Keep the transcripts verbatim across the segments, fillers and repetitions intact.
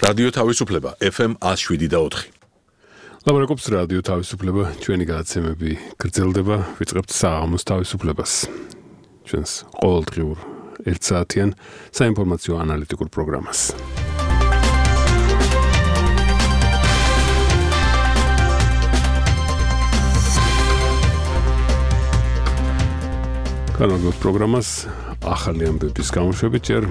რადიო თავისუფლება ეფ ემ one oh seven და four. ლაბორატორიის რადიო თავისუფლება ჩვენი გადაცემები გრძელდება, ვიწყებთ საღამოს თავისუფლებას. ჩვენს ყოველდღიურ ერთ საათიან საინფორმაციო ანალიტიკურ პროგრამას. განაგოს პროგრამას ახალი ამბების გამოშვებით ჯერ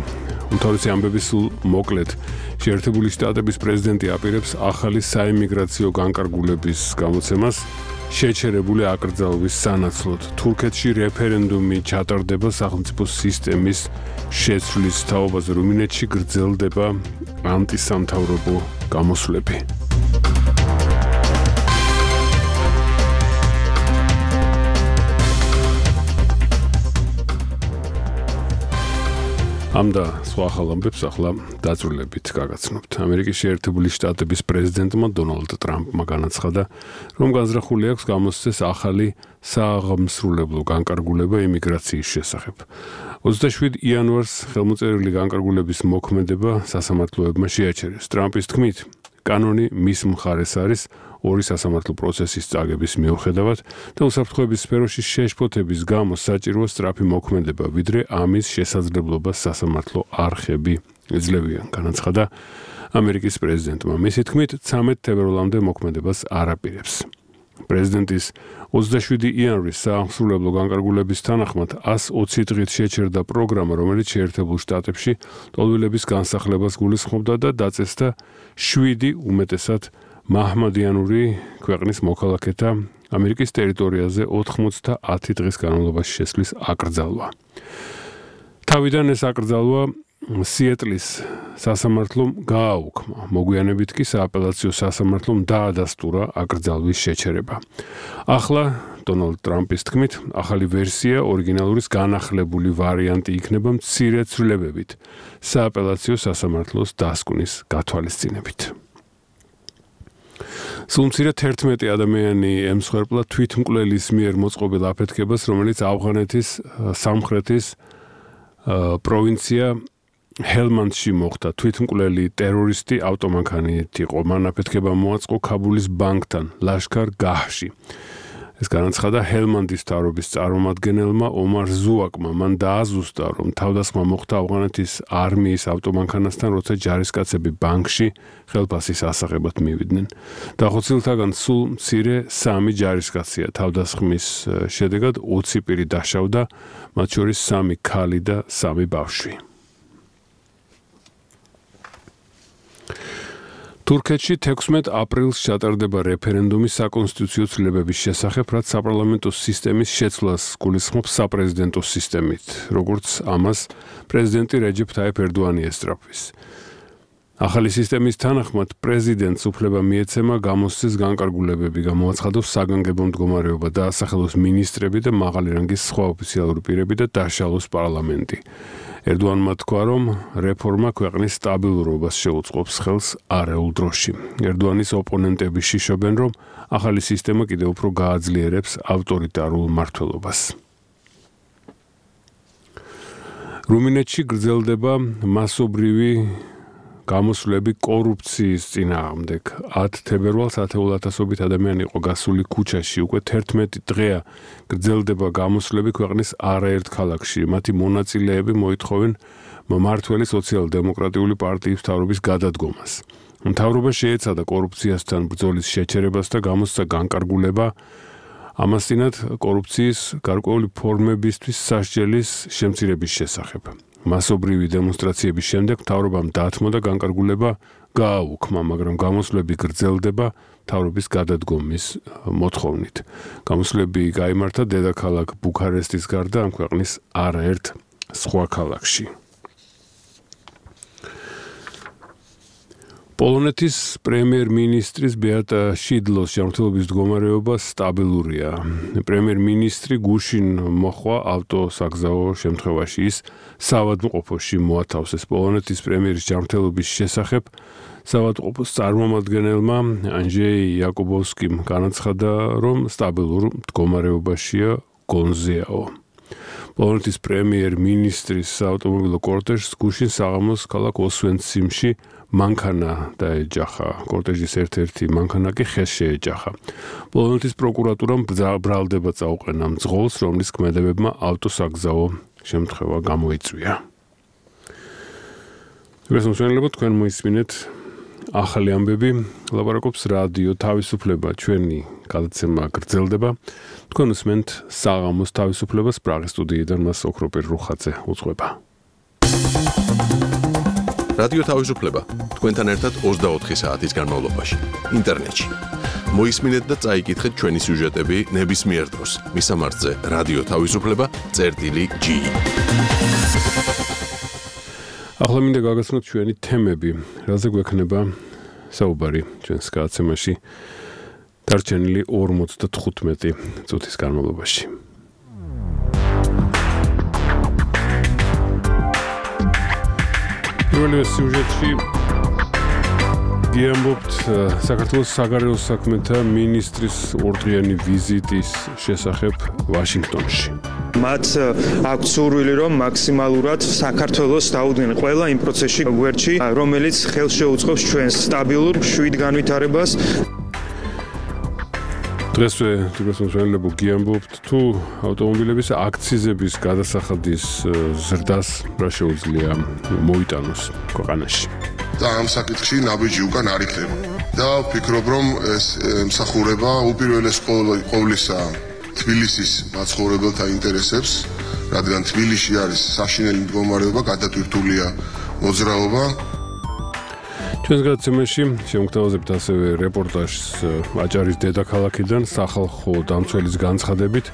უმთავრესი ამბები სულ მოკლედ. შეერთებული შტატების პრეზიდენტი აპირებს ახალი საიმიგრაციო განკარგულების გამოცემას შეჩერებული აკრძალვის სანაცვლოდ. თურქეთში რეფერენდუმი ჩატარდება სახელმწიფო სისტემის შეცვლის თაობაზე. რუმინეთში გრძელდება ანტისამთავრობო გამოსვლები. ამ და სხვა ახალ ამბებს ახლა დაწვრილებით გაგაცნობთ. ამერიკის შეერთებული შტატების პრეზიდენტმა დონალდ ტრამპმა განაცხადა, რომ განზრახული აქვს გამოსცეს ახალი სააღმსრულებლო განკარგულება იმიგრაციის შესახებ. ოცდაშვიდი იანვარს ხელმოწერილი განკარგულების მოქმედება სასამართლოებმა შეაჩერეს. ტრამპის თქმით, კანონი მის მხარეს არის ორი სასამართლო პროცესის წაგების მიუხედავად და უსაფრთხოების სფეროში შეშფოთების გამო საჭიროა სწრაფი მოქმედება, ვიდრე ამის შესაძლებლობას სასამართლო არხები ეძლევიან, განაცხადა ამერიკის პრეზიდენტმა. მისი თქმით, ცამეტ თებერვალამდე მოქმედებას არ აპირებს. პრეზიდენტის ოცდაშვიდი იანვრის სააღმსრულებლო განკარგულების თანახმად one hundred twenty დღით შეჩერდა პროგრამა, რომელიც შეერთებულ შტატებში ტოლვილების განსახლებას გულისხმობდა და დაწესდა შვიდი უმეტესად მაჰმადიანური ქვეყნის მოქალაქეთა ამერიკის ტერიტორიაზე ოცდაათი დღის განმავლობაში შესვლის აკრძალვა. თავიდან ეს აკრძალვა სიეტლის სასამართლომ გააუქმა. მოგვიანებით კი სააპელაციო სასამართლომ დაადასტურა აკრძალვის შეჩერება. ახლა დონალდ ტრამპის თქმით, ახალი ვერსია ორიგინალურის განახლებული ვარიანტი იქნება მცირე ცვლილებებით სააპელაციო სასამართლოს დასკვნის გათვალისწინებით. სულ მცირე თერთმეტი ადამიანი ემსხვერპლა თვითმკვლელის მიერ მოწყობილ აფეთქებას, რომელიც ავღანეთის სამხრეთის პროვინცია ჰელმანდში მოხდა. თვითმკვლელი ტერორისტი ავტომანქანით იყო. მან აფეთქება მოაწყო ქაბულის ბანკთან ლაშქარ გაჰში. ეს განაცხადა ჰელმანდის მთავრობის წარმომადგენელმა ომარ ზუაკმა. მან დააზუსტა, რომ თავდასხმა მოხდა ავღანეთის არმიის ავტომანქანასთან, როცა ჯარისკაცები ბანკში ხელფასის ასაღებად მივიდნენ. დახოცილთაგან სულ მცირე სამი ჯარისკაცია. თავდასხმის შედეგად ოცი პირი დაშავდა, მათ შორის სამი ქალი და სამი ბავშვი. თურქეთში თექვსმეტ აპრილს ჩატარდება რეფერენდუმი საკონსტიტუციო ცვლილებების შესახებ, რაც საპარლამენტო სისტემის შეცვლას გულისხმობს საპრეზიდენტო სისტემით, როგორც ამას პრეზიდენტი რეჯეფ ტაიფ ერდოანი ესწრაფვის. ახალი სისტემის თანახმად პრეზიდენტს უფლება მიეცემა გამოსცეს განკარგულებები, გამოაცხადოს საგანგებო მდგომარეობა, დაასახელოს მინისტრები და მაღალი რანგის სხვა ოფიციალური პირები და დაშალოს პარლამენტი. ერდოანმა თქვა, რომ რეფორმა ქვეყნის სტაბილურობას შეუწყობს ხელს არეულ დროში. ერდოანის ოპონენტები შიშობენ, რომ ახალი სისტემა კიდევ უფრო გააძლიერებს ავტორიტარულ მმართველობას. რუმინეთში გრძელდება მასობრივი გამოსვლები კორუფციის წინააღმდეგ. ათი თებერვალს ათეულათასობით ადამიანი იყო გასული ქუჩაში. უკვე თერთმეტი დღეა გრძელდება გამოსვლები ქვეყნის არაერთ ქალაქში. მათი მონაწილეები მოითხოვენ მმართველი სოციალ-დემოკრატიული პარტიის მთავრობის გადადგომას. მთავრობა შეეცადა კორუფციასთან ბრძოლის შეჩერებას და გამოსცა განკარგულება ამასთანავე კორუფციის გარკვეული ფორმებისთვის სასჯელის შემცირების შესახებ. მასობრივი დემონსტრაციების შემდეგ მთავრობამ დათმო და განკარგულება გააუქმა, მაგრამ გამოსვლები გრძელდება მთავრობის გადადგომის მოთხოვნით. გამოსვლები გაიმართა დედაქალაქ ბუქარესტის გარდა ამ ქვეყნის არაერთ სხვა ქალაქში. პოლონეთის პრემიერ-მინისტრის ბეატა შიდლოს ჯანმრთელობის მდგომარეობა სტაბილურია. პრემიერ-მინისტრი გუშინ მოხვა ავტოსაგზაო შემთხვევაში. ის საავადმყოფოში მოათავსეს. პოლონეთის პრემიერის ჯანმრთელობის შესახებ საავადმყოფოს წარმომადგენელმა ანჯეი იაკობოვსკიმ განაცხადა, რომ სტაბილურ მდგომარეობაშია გონზეაო. პოლონეთის პრემიერ-მინისტრის საავტომობილო კორტეჟს გუშინ საღამოს ქალაქ ოსვენციმში მანქანა დაეჯახა. კორტეჟის ერთ-ერთი მანქანა კი ხეს შეეჯახა. პოლონეთის პროკურატურამ ბრალდება წაუყენა მძღოლს, რომლის ქმედებებმა ავტოსაგზაო შემთხვევა გამოიწვია. გასამშვენებლად თქვენ მოისმინეთ ახალი ამბები, ლაპარაკობს რადიო თავისუფლება, ჩვენი გადაცემა გრძელდება. თქვენ უსმენთ საღამოს თავისუფლებას პრაღის სტუდიიდან მას ოქროპერ რუხაძე უძღვება. რადიო თავისუფლება თქვენთან ერთად ოცდაოთხი საათის განმავლობაში ინტერნეტში. მოისმინეთ და წაიკითხეთ ჩვენი სიუჟეტები ნებისმიერ დროს. მისამართზე რადიო თავისუფლება წერტილი ჯი. ახლა მინდა გაგაცნოთ ჩვენი თემები, რაზე გვექნება საუბარი ჩვენს გადაცემაში დარჩენილი ორმოცდათხუთმეტი წუთის განმავლობაში. პირველი სიუჟეტში გიამბობთ საქართველოს საგარეო საქმეთა მინისტრის ორდღიანი ვიზიტის შესახებ ვაშინგტონში. მათ აქვს სურვილი, რომ მაქსიმალურად საქართველოს დაუდგნენ ყველა იმ პროცესში გვერდში, რომელიც ხელს შეუწყობს ჩვენს სტაბილურ მშვიდ განვითარებას. დღესვე თვითმსახურებო გიამბობთ თუ ავტომობილების აქციზების გადასახადის ზრდას რა შეუძლია მოიტანოს ქვეყანაში. და ამ საკითხში ნაბიჯი უკან არ იქნება. და ვფიქრობ, რომ ეს მსახურება უპირველეს ყოვლისა თბილისის მაცხოვრებელთა ინტერესებს, რადგან თბილისში არის საშინელი მდგომარეობა, გადატვირთულია მოძრაობა. ჩვენს გადაცემაში შევმოგვთავაზებთ ასევე რეპორტაჟს აჭარის დედაქალაქიდან სახალხო დამცველის განცხადებით,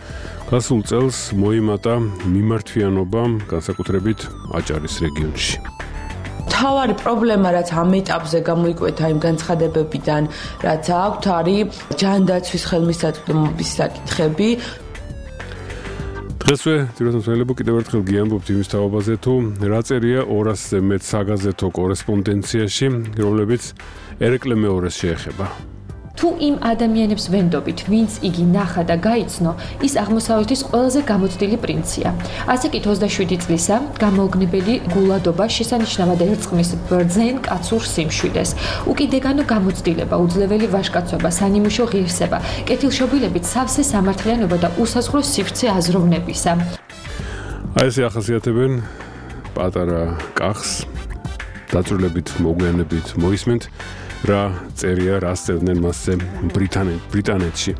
გასულ წელს მოიმატა მიმართვიანობა განსაკუთრებით აჭარის რეგიონში. თავარი პრობლემა, რაც ამ ეტაპზე გამოიკვეთა იმ განცხადებებიდან, რაც აქვთ, არის ჯანდაცვის ხელმისაწვდომობის საკითხები. დღესვე თვითმსახურებო კიდევ ერთხელ გიამბობთ იმის თაობაზე, თუ რა წერია ორასზე მეტ საგაზეთო კორესპონდენციაში, რომლებიც ერეკლე მეორეს შეეხება. თუ იმ ადამიანებს ვენდობით, ვინც იგი ნახა და გაიცნო, ის აღმოსავლეთის ყველაზე გამოცდილი პრინცია. ასე კი ოცდაშვიდი წლისა გამოუგნებელი გულადობა შესანიშნავად ერწყმის ბრძენ კაცურ სიმშვიდეს. უკიდეგანო გამოცდილება, უძლეველი ვაჟკაცობა, სანიმუშო ღირსება, კეთილშობილებით სავსე სამართლიანობა და უსაზღვრო სივრცე აზროვნებისა. აი ესე ახასიათებენ პატარა კახს, დაწვრილებით მოგვიანებით მოისმენთ. რა წერია, რა წერდნენ მასზე ბრიტანეთში.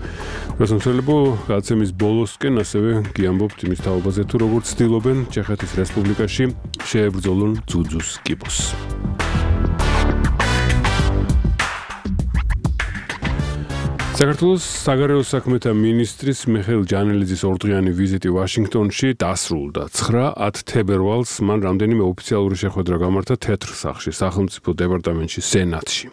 გასამშვენებლო გადაცემის ბოლოსკენ ასევე გიამბობთ იმის თაობაზე, თუ როგორ ცდილობენ ჩეხეთის რესპუბლიკაში შეებრძოლონ ძუძუს კიბოს. საქართველოს საგარეო საქმეთა მინისტრის მიხეილ ჯანელიძის ორდღიანი ვიზიტი ვაშინგტონში დასრულდა. ცხრა-ათ თებერვალს მან რამდენიმე ოფიციალური შეხვედრა გამართა თეთრ სახლში, სახელმწიფო დეპარტამენტში, სენატში.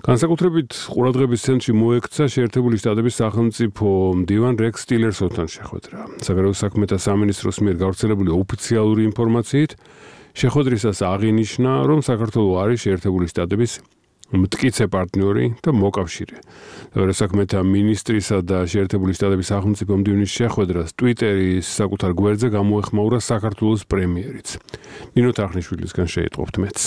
განსაკუთრებით ყურადღების ცენტრში მოექცა შეერთებული შტატების სახელმწიფო მდივან რექს ტილერსონთან შეხვედრა. საგარეო საქმეთა სამინისტროს მიერ გავრცელებული ოფიციალური ინფორმაციით შეხვედრისას აღინიშნა, რომ საქართველო არის შეერთებული შტატების მტკიცე პარტნიორი და მოკავშირე. საგარეო საქმეთა მინისტრისა და შეერთებული შტატების სახელმწიფო მდივნის შეხვედრას ტვიტერის საკუთარ გვერდზე გამოეხმაურა საქართველოს პრემიერიც. ნინო თახნიშვილისგან შეიტყობთ მეც.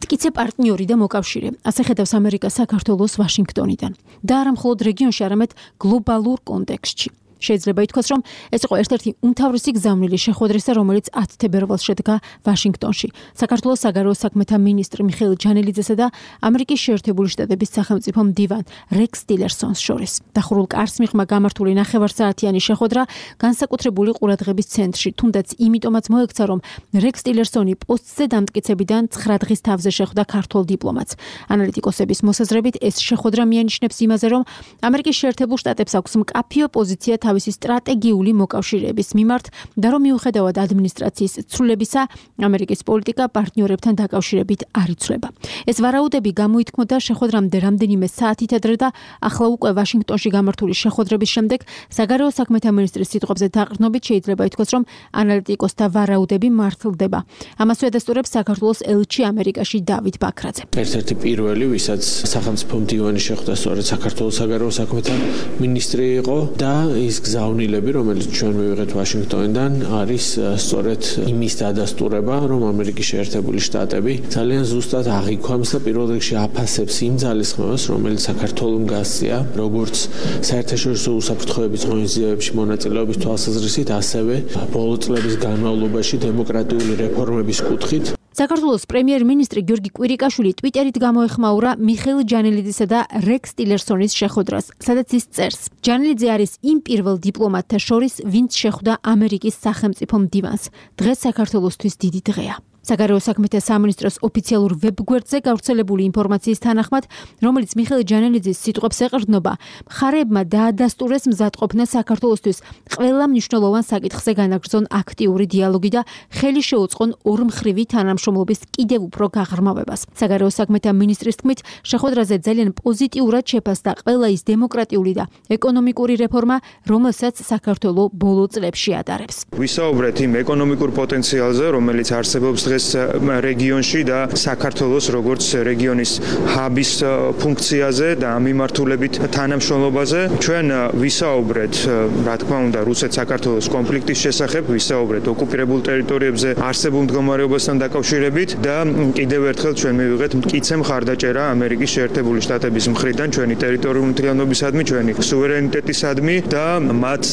მტკიცე პარტნიორი და მოკავშირე. ასე ხედავს ამერიკა საქართველოს ვაშინგტონიდან. და არა მხოლოდ რეგიონში, არამედ გლობალურ კონტექსტში. შეიძლება ითქვას, რომ ეს იყო ერთ-ერთი უმთავრესი გზავნილი შეხვედრისა, რომელიც ათ თებერვალს შედგა ვაშინგტონში. საქართველოს საგარეო საქმეთა მინისტრი მიხეილ ჯანელიძესა და ამერიკის შეერთებული შტატების სახელმწიფო მდივან რექს ტილერსონს შორის. დახურულ კარს მიღმა გამართული ნახევარსაათიანი შეხვედრა განსაკუთრებული ყურადღების ცენტრში, თუნდაც იმიტომაც მოექცა, რომ რექს ტილერსონი პოსტზე დამტკიცებიდან ცხრა დღის თავზე შეხვდა ქართველ დიპლომატს. ანალიტიკოსების მოსაზრებით ეს შეხვედრა მიანიშნებს იმაზე, რომ ამერიკის შეერთებულ შტატებს აქვს მკაფიო პოზიცია თავისი სტრატეგიული მოკავშირეების მიმართ და რომ მიუხედავად ადმინისტრაციის ცვლილებისა, ამერიკის პოლიტიკა პარტნიორებთან დაკავშირებით არ იცვლება. ეს ვარაუდები გამოითქმოდა შეხვედრამდე რამდენიმე საათით ადრე და ახლა უკვე ვაშინგტონში გამართული შეხვედრების შემდეგ საგარეო საქმეთა მინისტრის სიტყვებზე დაყრდნობით შეიძლება ითქვას, რომ ანალიტიკოსთა ვარაუდები მართლდება. ამას უდესტურებს საქართველოს ელჩი ამერიკაში დავით ბაქრაძე. ერთ-ერთი პირველი, ვისაც სახელმწიფო მდივანი შეხვდა, სწორედ საქართველოს საგარეო საქმეთა მინისტრი იყო და ის ის გზავნილები, რომელიც ჩვენ მივიღეთ ვაშინგტონიდან, არის სწორედ იმის დადასტურება, რომ ამერიკის შეერთებული შტატები ძალიან ზუსტად აღიქვამს და პირველ რიგში აფასებს იმ ძალისხმევას, რომელიც საქართველოს გასწია, როგორც საერთაშორისო უსაფრთხოების ღონისძიებებში მონაწილეობის თვალსაზრისით, ასევე ბოლო წლების განმავლობაში დემოკრატიული რეფორმების კუთხით. საქართველოს პრემიერ-მინისტრი გიორგი კვირიკაშვილი ტვიტერით გამოეხმაურა მიხეილ ჯანელიძისა და რეკს ტილერსონის შეხვედრას, სადაც ის წერს: ჯანელიძე არის იმ პირველ დიპლომატთა შორის, ვინც შეხვდა ამერიკის სახელმწიფო მდივანს. დღეს საქართველოსთვის დიდი დღეა. საგარეო საქმეთა სამინისტროს ოფიციალურ ვებგვერდზე გავრცელებული ინფორმაციის თანახმად, რომელიც მიხეილ ჯანელიძის სიტყვებს ეყრდნობა, მხარეებმა დაადასტურეს მზადყოფნა საქართველოსთვის ყველა მნიშვნელოვან საკითხზე განაგრძონ აქტიური დიალოგი და ხელი შეუწყონ ორმხრივი თანამშრომლობის კიდევ უფრო გაღრმავებას. საგარეო საქმეთა მინისტრის თქმით, შეხვედრაზე ძალიან პოზიტიურად შეფასდა ყველა ის დემოკრატიული და ეკონომიკური რეფორმა, რომელსაც საქართველო ბოლო წლებში ატარებს. ვისაუბრეთ იმ ეკონომიკურ პოტენციალზე, რომელიც არსებობს რეგიონში და საქართველოს როგორც რეგიონის ჰაბის ფუნქციაზე და მიმართულებით თანამშრომლობაზე. ჩვენ ვისაუბრეთ, რა თქმა უნდა, რუსეთ-საქართველოს კონფლიქტის შესახებ, ვისაუბრეთ ოკუპირებულ ტერიტორიებზე არსებულ მდგომარეობასთან დაკავშირებით და კიდევ ერთხელ ჩვენ მივიღეთ მტკიცე მხარდაჭერა ამერიკის შეერთებული შტატების მხრიდან ჩვენი ტერიტორიული მთლიანობისადმი, ჩვენი სუვერენიტეტისადმი და მათ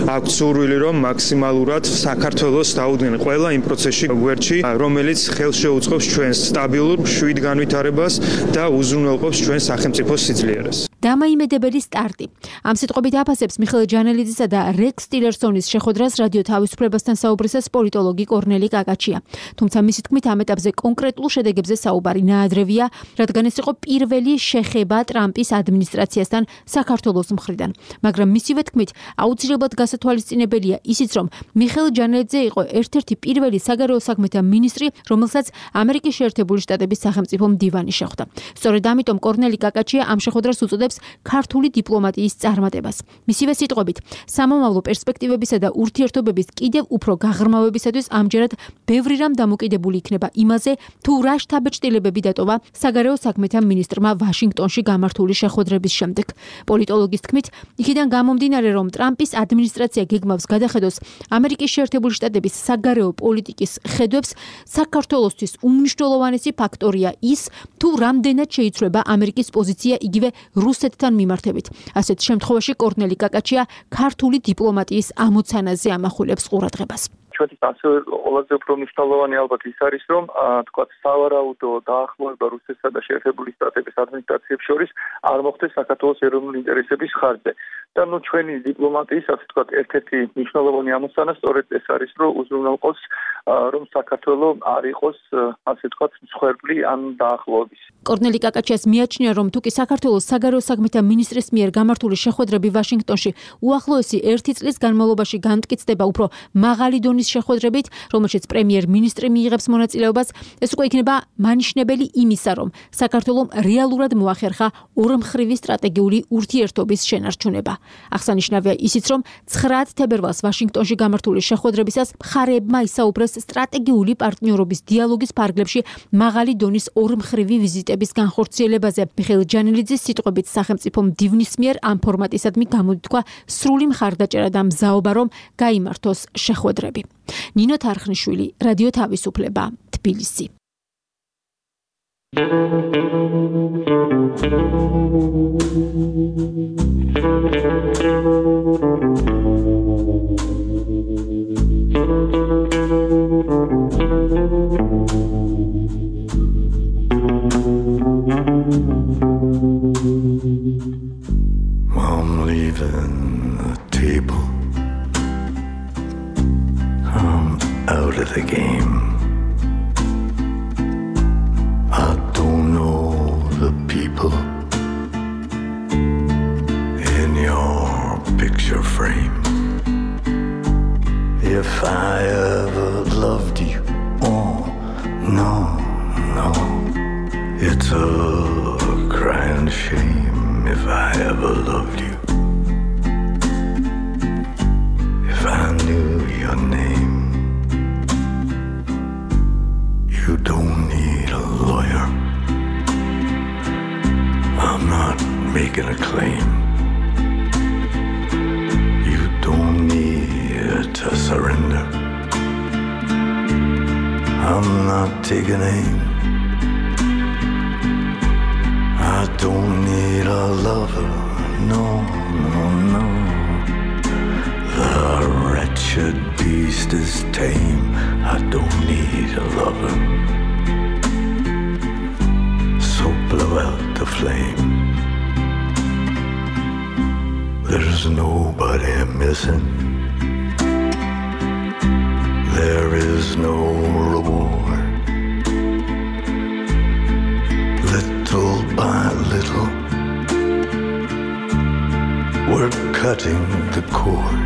აქვთ სურვილი, რომ მაქსიმალურად საქართველოს დაუდგნენ ყველა იმ პროცესში გვერდში, რომელიც ხელს შეუწყობს ჩვენს სტაბილურ მშვიდ განვითარებას და უზრუნველყოფს ჩვენს სახელმწიფოს სიძლიერეს. დამაიმედებელი სტარტი. ამ სიტყვებით აფასებს მიხეილ ჯანელიძისა და რეკს ტილერსონის შეხვედრას რადიო თავისუფლებასთან საუბრისას პოლიტოლოგი კორნელი კაკაჩია. თუმცა მისი თქმით, ამ ეტაპზე კონკრეტულ შედეგებზე საუბარი ნაადრევია, რადგან ეს იყო პირველი შეხება ტრამპის ადმინისტრაციასთან საქართველოს მხრიდან. მაგრამ მისივე თქმით, აუცილებლად გასათვალისწინებელია ისიც, რომ მიხეილ ჯანელიძე იყო ერთ-ერთი პირველი საგარეო საქმეთა მინისტრი, რომელსაც ამერიკის შეერთებული შტატების სახელმწიფო მდივანი შეხვდა. სწორედ ამიტომ კორნელი კაკაჩია ამ შეხვედრას უწოდებს ქართული დიპლომატიის წარმატებას. მისივე სიტყვებით, სამომავლო პერსპექტივებისა და ურთიერთობების კიდევ უფრო გაღრმავებისათვის ამჯერად ბევრი რამ დამოკიდებული იქნება იმაზე, თუ რა შთაბეჭდილებები დატოვა საგარეო საქმეთა მინისტრმა ვაშინგტონში გამართული შეხვედრების შემდეგ. პოლიტოლოგის თქმით, იქიდან გამომდინარე, რომ ტრამპის ადმინისტრაცია გეგმავს გადახედოს ამერიკის შეერთებული შტატების საგარეო პოლიტიკის ხედვებს, საქართველოსთვის უმნიშვნელოვანესი ფაქტორია ის, თუ რამდენად შეიცვლება ამერიკის პოზიცია იგივე რუსეთთან მიმართებით. ასეთ შემთხვევაში კორნელი კაკაჩია ქართული დიპლომატიის ამოცანაზე ამახვილებს ყურადღებას. ჩვენთვის ასევე ყველაზე უფრო მნიშვნელოვანი ალბათ ის არის, რომ თქვათ სავარაუდო დაახლოება რუსეთსა და შეერთებული შტატების ადმინისტრაციებს შორის არ მოხდეს საქართველოს ეროვნული ინტერესების ხარჯზე. და ნუ ჩვენი დიპლომატიის, ასე ვთქვათ, ერთ-ერთი მნიშვნელოვანი ამოცანა სწორედ ეს არის, რომ უზრუნველყოს, რომ საქართველო არ იყოს, ასე ვთქვათ, მსხვერპლი ამ დაახლოების. კორნელი კაკაჩიას მიაჩნია, რომ თუკი საქართველოს საგარეო საქმეთა მინისტრის მიერ გამართული შეხვედრები ვაშინგტონში უახლოესი ერთი წლის განმავლობაში განმტკიცდება უფრო მაღალი დონის შეხვედრებით, რომელშიც პრემიერ-მინისტრი მიიღებს მონაწილეობას, ეს უკვე იქნება მანიშნებელი იმისა, რომ საქართველომ რეალურად მოახერხა ორმხრივი სტრატეგიული ურთიერთობის შენარჩუნება. აღსანიშნავია ისიც, რომ ცხრა თებერვალს ვაშინგტონში გამართული შეხვედრებისას მხარეებმა ისაუბრეს სტრატეგიული პარტნიორობის დიალოგის ფარგლებში მაღალი დონის ორმხრივი ვიზიტების განხორციელებაზე. მიხეილ ჯანელიძის სიტყვებით, სახელმწიფო მდივნის მიერ ამ ფორმატისადმი გამოთქვა სრული მხარდაჭერა და მზაობა, რომ გაიმართოს შეხვედრები. ნინო თარხნიშვილი, რადიო თავისუფლება, თბილისი. I'm leaving the table. I'm out of the game. I don't know the people in your picture frame. If I ever loved you, oh, no, no. It's a crying shame if I ever loved you. If I knew your name. You don't need a lawyer. I'm not making a claim. You take an aim. I don't need a lover, no, no, no. The wretched beast is tame. I don't need a lover. So blow out the flame. There's nobody missing. There is no reward. Little by little, we're cutting the cord.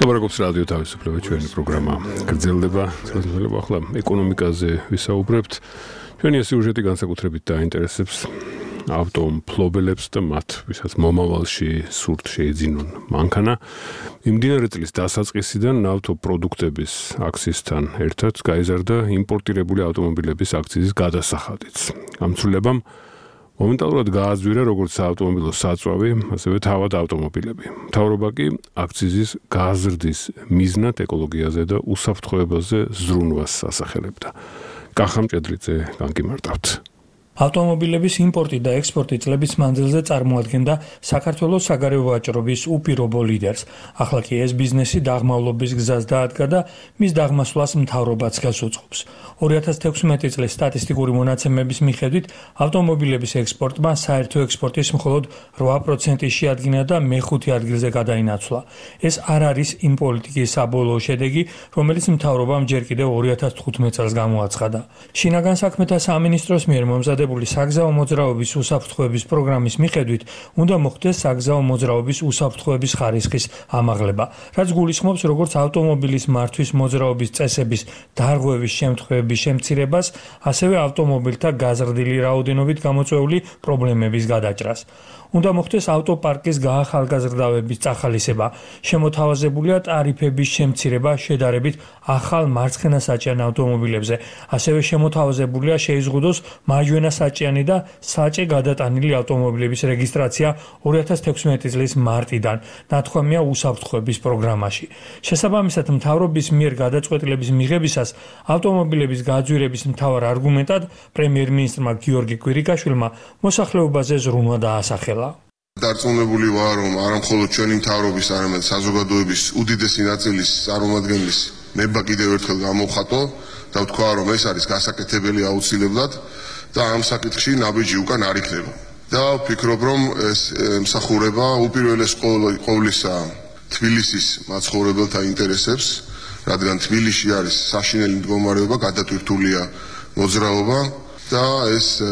ლაპარაკობს რადიო თავისუფლება, ჩვენი პროგრამა გრძელდება. გრძელდება ახლა ეკონომიკაზე ვისაუბრებთ. ჩვენი სიუჟეტი განსაკუთრებით დაინტერესებს ავტომფლობელებს და მათ, ვისაც მომავალში სურთ შეეძინონ მანქანა. იმდინარე წლის დასაწყისიდან ავტოპროდუქტების აქციზთან ერთად გაიზარდა იმპორტირებული ავტომობილების აქციზის გადასახადიც. გამცვლილებამ მომენტალურად გააძვირა როგორც საავტომობილო საწვავი, ასევე თავად ავტომობილები. მთავრობა კი აქციზის გაზრდის მიზნად ეკოლოგიაზე და უსაფრთხოებაზე ზრუნვას ასახელებდა. კახა მჭედრიძე განკიმარტავთ. ავტომობილების იმპორტი და ექსპორტი წლების მანძილზე წარმოადგენდა საქართველოს საგარეო ვაჭრობის უპირობო ლიდერს. ახლა კი ეს ბიზნესი დაღმავლობის გზას დაადგა და მის დაღმასვლას მთავრობაც გასუწყობს. ორი ათას თექვსმეტი წლის სტატისტიკური მონაცემების მიხედვით ავტომობილების ექსპორტმა საერთო ექსპორტის მხოლოდ რვა პროცენტი შეადგინა და მეხუთე ადგილზე გადაინაცვლა. ეს არ არის იმ პოლიტიკის საბოლოო შედეგი, რომელიც მთავრობამ ჯერ კიდევ ორი ათას თხუთმეტ წელს გამოაცხადა. შინაგან საქმეთა სამინისტროს მიერ მომზადებული საგზაო მოძრაობის უსაფრთხოების პროგრამის მიხედვით უნდა მოხდეს საგზაო მოძრაობის უსაფრთხოების ხარისხის ამაღლება, რაც გულისხმობს როგორც ავტომობილის მართვის მოძრაობის წესების დარღვევის შემთხვევების შემცირებას, ასევე ავტომობილთა გაზრდილი რაოდენობით გამოწვეული პრობლემების გადაჭრას. უნდა მოხდეს ავტოპარკის გაახალგაზრდავების წახალისება, შემოთავაზებულია ტარიფების შემცირება შედარებით ახალ მარცხენასაჭიან ავტომობილებზე, ასევე შემოთავაზებულია შეიზღუდოს მარჯვენასაჭიანი და საჭე გადატანილი ავტომობილების რეგისტრაცია ორი ათას თექვსმეტი წლის მარტიდან, ნათქვამია უსაფრთხოების პროგრამაში. შესაბამისად, მთავრობის მიერ გადაწყვეტილების მიღებისას ავტომობილების გაძვირების მთავარ არგუმენტად პრემიერ-მინისტრმა გიორგი კვირიკაშვილმა მოსახლეობაზე ზრუნვა დაასახელა. დარწმუნებული ვარ, რომ არა მხოლოდ ჩვენი მთავრობის, არამედ საზოგადოების უდიდესი ნაწილის წარმომადგენლის ნება კიდევ ერთხელ გამოვხატო და ვთქვა, რომ ეს არის გასაკეთებელი აუცილებლად და ამ საკითხში ნაბიჯი უკან არ იქნება. და ვფიქრობ, რომ ეს ემსახურება უპირველეს ყოვლისა თბილისის მაცხოვრებელთა ინტერესებს, რადგან თბილისში არის საშინელი მდგომარეობა, გადატვირთულია მოძრაობა და ეს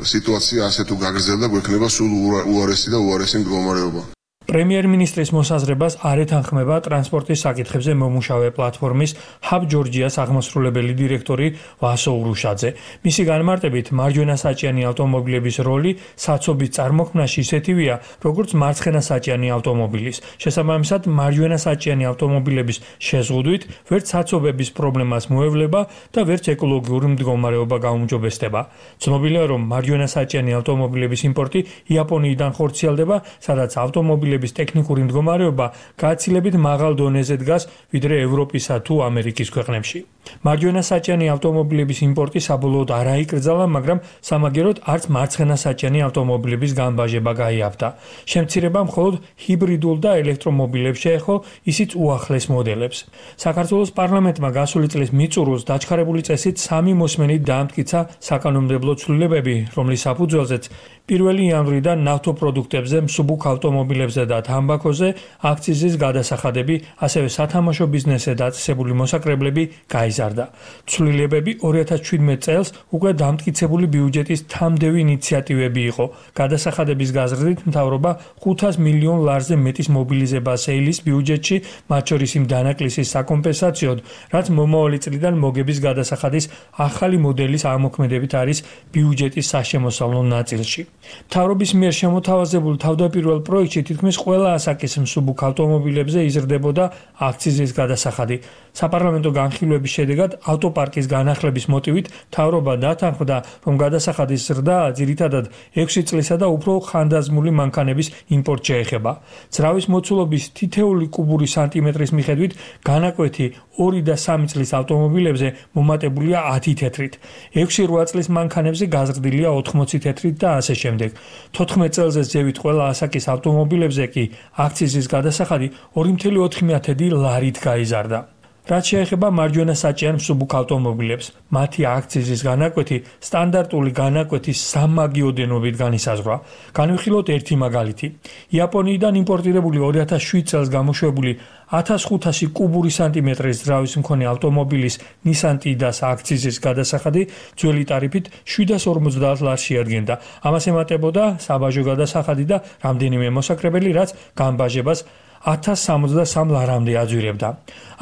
სიტუაცია ასე თუ გაგრძელდა, გვექნება სულ უარესი და უარესი მდგომარეობა. პრემიერ-მინისტრის მოსაზრებას არ ეთანხმება ტრანსპორტის საკითხებზე მომუშავე პლატფორმის ჰაბ ჯორჯიას აღმასრულებელი დირექტორი ვასო ურუშაძე. მისი განმარტებით, მარჯვენასაჭიანი ავტომობილების როლი საცობის წარმოქმნაში ისეთივეა, როგორც მარცხენასაჭიანი ავტომობილის. შესაბამისად, მარჯვენასაჭიანი ავტომობილების შეზღუდვით ვერც საცობების პრობლემას მოევლება და ვერც ეკოლოგიური მდგომარეობა გაუმჯობესდება. ცნობილია, რომ მარჯვენასაჭიანი ავტომობილების იმპორტი იაპონიიდან ხორციელდება, სადაც ავტომობილები ტექნიკური მდგომარეობა გაცილებით მაღალ დონეზე დგას ვიდრე ევროპისა თუ ამერიკის ქვეყნებში. მარჯვენასაჭიანი ავტომობილების იმპორტი საბოლოოდ არ აიკრძალა, მაგრამ სამაგეროდ არც მარცხენასაჭიანი ავტომობილების განბაჟება გაიაფთა. შემცირება მხოლოდ ჰიბრიდულ და ელექტრომობილებს შეეხო, ისიც უახლეს მოდელებს. საქართველოს პარლამენტმა გასული წლის მიწურულს დაჩქარებული წესით სამი მოსმენით დაამტკიცა საკანონმდებლო ცვლილებები, რომლის საფუძველზეც პირველი იანვრიდან ნავთობპროდუქტებზე, მსუბუქ ავტომობილებზე და თამბაქოზე აქციზის გადასახადები, ასევე სათამაშო ბიზნესზე დაწესებული მოსაკრებლები გაიზარდა. ცვლილებები ორი ათას ჩვიდმეტ წელს უკვე დამტკიცებული ბიუჯეტის თამდევი ინიციატივები იყო. გადასახადების გაზრდით მთავრობა ხუთას მილიონ ლარზე მეტის მობილიზებას ეილის ბიუჯეტში, მათ შორის იმ დანაკლისის საკომპენსაციოდ, რაც მომავალი წლიდან მოგების გადასახადის ახალი მოდელის ამოქმედებით არის ბიუჯეტის საშემოსავლო ნაწილში. მთავრობის მიერ შემოთავაზებულ თავდაპირველ პროექტში თითქმის ყველა ასაკის მსუბუქ ავტომობილებზე იზრდებოდა აქციზის გადასახადი. საპარლამენტო განხილვების შედეგად ავტოპარკის განახლების მოტივით მთავრობა დათანხმდა, რომ გადასახადის ზრდა ძირითადად ექვსი წლისა და უფრო ხანდაზმული მანქანების იმპორტს შეეხება. ძრავის მოცულობის თითეული კუბური სანტიმეტრის მიხედვით განაკვეთი ორი და სამი წლის ავტომობილებზე მომატებულია ათი თეთრით, ექვსი რვა წლის მანქანებზე გაზრდილია ოთხმოცი თეთრით და ასე შემდეგ. თოთხმეტ წელზე ზევით ყველა ასაკის ავტომობილებზე კი აქციზის გადასახადი ორი კoma ოთხი ლარით გაიზარდა. რაც შეეხება მარჯვენა საჭიარ მსუბუქ ავტომობილებს, მათი აქციზის განაკვეთი სტანდარტული განაკვეთის სამაგიოდენობით განისაზღვრა. განვიხილოთ ერთი მაგალითი. იაპონიიდან იმპორტირებული ორი ათას შვიდ წელს გამოშვებული ათას ხუთასი კუბური სანტიმეტრის ძრავის მქონე ავტომობილის Nissan Tiida-ს აქციზის გადასახადი ძველი ტარიფით შვიდას ორმოცდაათ ლარს შეადგენდა. ამას ემატებოდა საბაჟო გადასახადი და რამდენიმე მოსაკრებელი, რაც განბაჟებას ათას სამოცდასამ ლარამდე აძვირებდა.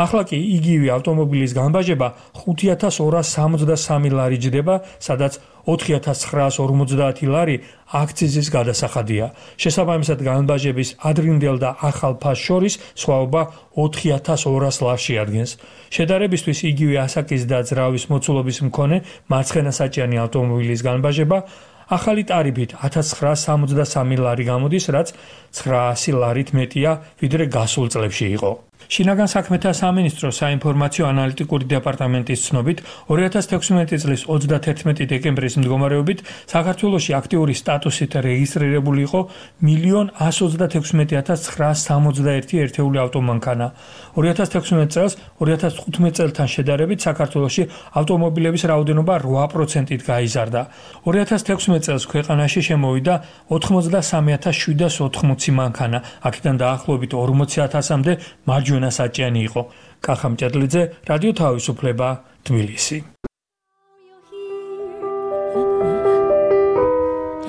ახლა კი იგივე ავტომობილის განბაჟება ხუთი ათას ორას სამოცდასამი ლარი ჯდება, სადაც ოთხი ათას ცხრაას ორმოცდაათი ლარი აქციზის გადასახადია. შესაბამისად განბაჟების ადრინდელ და ახალ ფასს შორის სხვაობა ოთხი ათას ორას ლარს შეადგენს. შედარებისთვის იგივე ასაკის და ძრავის მოცულობის მქონე მარცხენა საჭიანი ავტომობილის განბაჟება ახალი ტარიფით ათას ცხრაას სამოცდასამი ლარი გამოდის, რაც ცხრაასი ლარით მეტია, ვიდრე გასულ წლებში იყო. შინაგან საქმეთა სამინისტროს საინფორმაციო ანალიტიკური დეპარტამენტის ცნობით, ორი ათას თექვსმეტი წლის ოცდათერთმეტი დეკემბრის მდგომარეობით საქართველოში აქტიური სტატუსით რეგისტრირებული იყო მილიონ ასს ოცდათექვსმეტი ათას ცხრაას სამოცდაერთი ერთეული ავტომანქანა. ორი ათას თექვსმეტ წელს ორი ათას თხუთმეტ წელთან შედარებით საქართველოში ავტომობილების რაოდენობა რვა პროცენტით გაიზარდა. ორი ათას თექვსმეტ წელს ქვეყანაში შემოვიდა ოთხმოცდასამი ათას შვიდას ოთხმოცი მანქანა, აქედან დაახლოებით ორმოცი ათასამდე მარჯვენა საჭიანი იყო. კახა მჭედლიძე, რადიო თავისუფლება, თბილისი.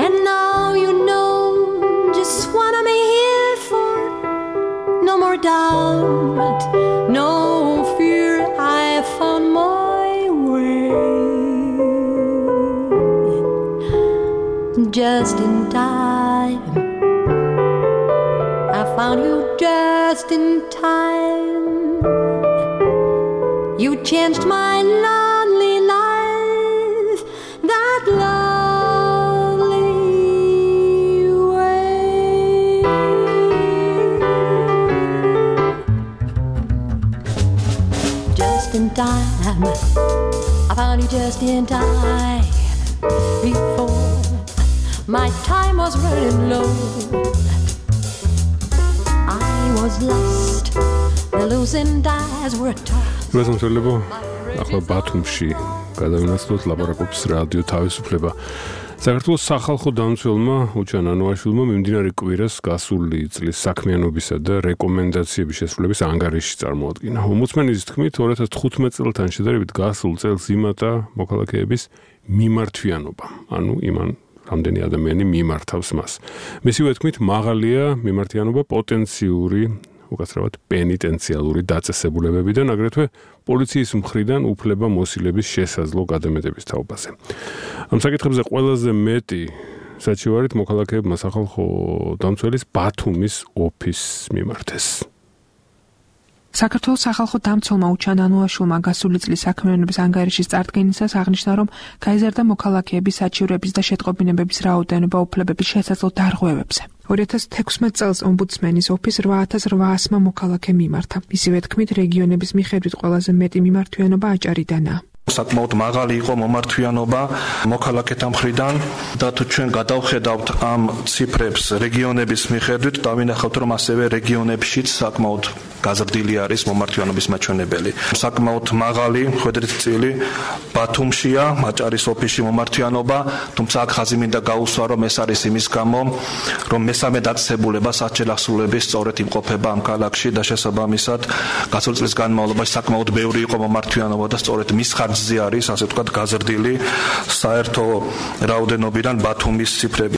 And now you know just what I'm here for. No more doubt, no fear, I found my way. Just in time, I found you just in time. You changed my lonely life that lovely way. Just in time, I found you just in time. Before my time was running low, was lost, the losing dies were tossed. გასამშველებო, ახლა ბათუმში გადავინაცვლოთ ლაპარაკობს რადიო თავისუფლება. საქართველოს სახალხო დამცველმა უჩან ანუაშვილმა მიმდინარე კვირას გასული წლის საქმიანობისა და რეკომენდაციების შესრულების ანგარიში წარმოადგინა. ომბუდსმენის თქმით, ორი ათას თხუთმეტ წელთან შედარებით გასულ წელს იმატა მოქალაქეების მიმართვიანობა. ანუ იმან რამდენი ადამიანი მიმართავს მას. მისივე თქმით, მაღალია მიმართიანობა პოტენციური, უკაცრავად პენიტენციალური დაწესებულებებიდან, აგრეთვე პოლიციის მხრიდან უფლება მოსილების შესაძლო გადამეტების თაობაზე. ამ საკითხებზე ყველაზე მეტი საჩივარით მოქალაქეებმა სახალხო დამცველის ბათუმის ოფისს მიმართეს. საქართველოს სახალხო დამცველმა უჩან ანუაშვილმა გასული წლის საქმიანობის ანგარიშის წარდგენისას აღნიშნა, რომ გაიზარდა მოქალაქეების საჩივრების და შეტყობინებების რაოდენობა უფლებების შესაძლო დარღვევებზე. ორი ათას თექვსმეტ წელს ომბუდსმენის ოფისს რვა ათას რვაასმა მოქალაქე მიმართა. ისევე თქმით, რეგიონების მიხედვით ყველაზე მეტი მიმართვიანობა აჭარიდანაა. საკმაოდ მაღალი იყო მომართვიანობა მოქალაქეთა მხრიდან და თუ ჩვენ გადავხედავთ ამ ციფრებს რეგიონების მიხედვით, დავინახავთ, რომ ასევე რეგიონებშიც საკმაოდ გაზრდილი არის მომართვიანობის მაჩვენებელი. საკმაოდ მაღალი ხვედრით წილი ბათუმშია, აჭარის ოფისში მომართვიანობა, თუმცა აქ ხაზი მინდა გაუსვა, რომ ეს არის იმის გამო, რომ მესამე დაწესებულება საჭიროების სწორედ იმყოფება ამ ქალაქში და შესაბამისად გასული წლის განმავლობაში საკმაოდ ბევრი იყო მომართვიანობა და სწორედ მის ხარჯზე არის, ასე ვთქვათ, გაზრდილი საერთო რაოდენობიდან ბათუმის ციფრები.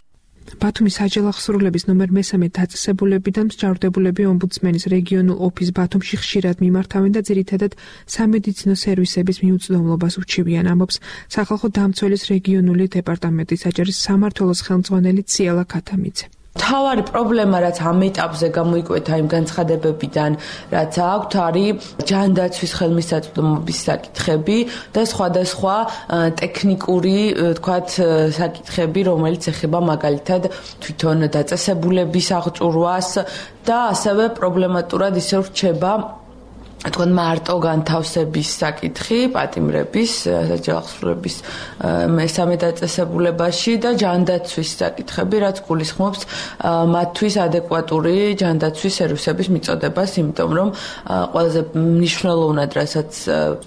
ბათუმის საჯარო აღსრულების ნომერ მესამე დაწესებულებიდან მსჯავრდებულები ომბუდსმენის რეგიონულ ოფისს ბათუმში ხშირად მიმართავენ და ძირითადად სამედიცინო სერვისების მიუწვდომლობას უჩივიან, ამბობს სახალხო დამცველის რეგიონული დეპარტამენტის საჭირის სამმართველოს ხელმძღვანელი ციალა ქათამიძე. თავარი პრობლემა, რაც ამ ეტაპზე გამოიკვეთა იმ განცხადებებიდან, რაც აქვთ, არის ჯანდაცვის ხელმისაწვდომობის საკითხები და სხვადასხვა ტექნიკური, თქვათ, საკითხები, რომელიც ეხება მაგალითად თვითონ დაწესებულების აღჭურვას და ასევე პრობლემატურად ისევ რჩება თქვენ მარტო განთავსების საკითხი პატიმრების საჯავახსრულების მესამე დაწესებულებაში და ჯანდაცვის საკითხები, რაც გულისხმობს მათთვის ადეკვატური ჯანდაცვის სერვისების მიწოდებას, იმიტომ რომ ყველაზე მნიშვნელოვნად რასაც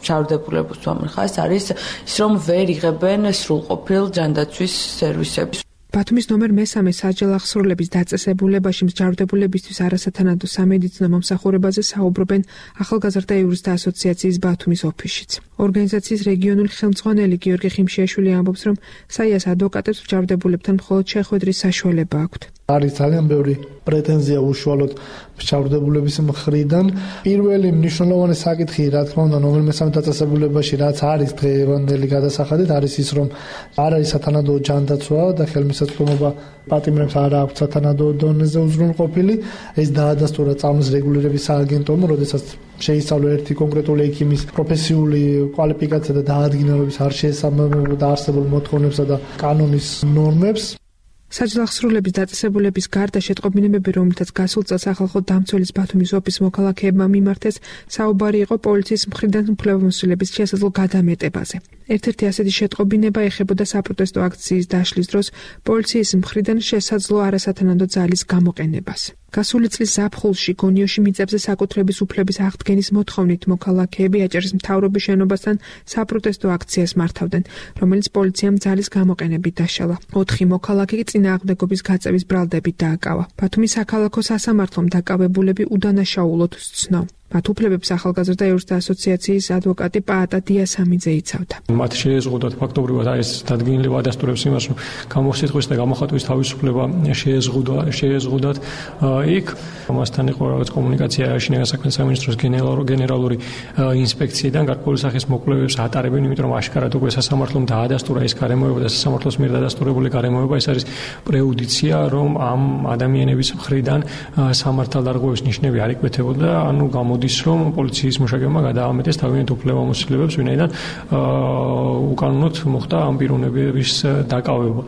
ჩავდებულებას ვამხას არის ის, რომ ვერ იღებენ სრულყოფილ ჯანდაცვის სერვისებს. ბათუმის ნომერ მესამე საჯავახსრულების დაწესებულებაში მსჯავრდებულებისთვის არასათანადო სამედიცინო მომსახურებაზე საუბრობენ ახალგაზრდა იურისტთა ასოციაციის ბათუმის ოფისშიც. ორგანიზაციის რეგიონული ხელმძღვანელი გიორგი ხიმშიაშვილი ამბობს, რომ საიას ადვოკატებს მსჯავრდებულებთან მხოლოდ შეხვედრის საშუალება აქვთ. არის ძალიან ბევრი პრეტენზია უშუალოდ მსჯავრდებულების მხრიდან. პირველი მნიშვნელოვანი საკითხი, რა თქმა უნდა, ნომერ მესამე დაწესებულებაში, რაც არის დღევანდელი გადასახადით, არის ის, რომ არ არის სათანადო ჯანდაცვა და ხელმისაწვდომობა პატიმრებს არ აქვს სათანადო დონეზე უზრუნყოფილი. ეს დაადასტურა წამლის რეგულირების სააგენტომ, როდესაც შეისწავლა ერთი კონკრეტული ექიმის პროფესიული კვალიფიკაცია და დაადგინა, რომ ის არ შეესაბამებოდა არსებულ მოთხოვნებსა და კანონის ნორმებს. საჯავახსრულების დაწესებულების გარდა შეტყობინებები, რომლითაც გასულ წელს სახალხო დამცველის ბათუმის ოფის მოქალაქეებმა მიმართეს, საუბარი იყო პოლიციის მხრიდან უფლებამოსილების შესაძლო გადამეტებაზე. ერთ-ერთი ასეთი შეტყობინება ეხებოდა საპროტესტო აქციის დაშლის დროს პოლიციის მხრიდან შესაძლო არასათანადო ძალის გამოყენებას. გასული წლის ზაფხულში გონიოში მიწებზე საკუთრების უფლების აღდგენის მოთხოვნით მოქალაქეები აჭარის მთავრობის შენობასთან საპროტესტო აქციას მართავდნენ, რომელიც პოლიციამ ძალის გამოყენებით დაშალა. ოთხი მოქალაქე კი წინააღმდეგობის გაწევის ბრალდებით დააკავა. ბათუმის საქალაქო სასამართლომ დაკავებულები უდანაშაულოდ სცნო. მათ უფლებებს ახალგაზრდა იურისტთა ასოციაციის ადვოკატი პაატა დიასამიძე იცავდა. მათ შეეზღუდათ ფაქტობრივად ეს დადგენილი ვადასტურებს იმას, რომ გამოსიტყვის და გამოხატვის თავისუფლება შეეზღუდა შეეზღუდათ იქ. მასთან იყო რაღაც კომუნიკაცია შინაგან საქმეთა სამინისტროს გენერალური ინსპექციიდან გარკვეული სახის მოკვლევებს ატარებენ, იმიტომ რომ აშკარად უკვე სასამართლომ დაადასტურა ეს გარემოება და სასამართლოს მიერ დადასტურებული გარემოება ეს არის პრეუდიცია, რომ ამ ადამიანების მხრიდან სამართალდარღვევის ნიშნები არ იკვეთებოდა, ანუ გამო ის რომ პოლიციის მუშაკებმა გადაამეტეს თავიანთ უფლებამოსილებებს, ვინაიდან უკანონოდ მოხდა ამ პიროვნების დაკავება.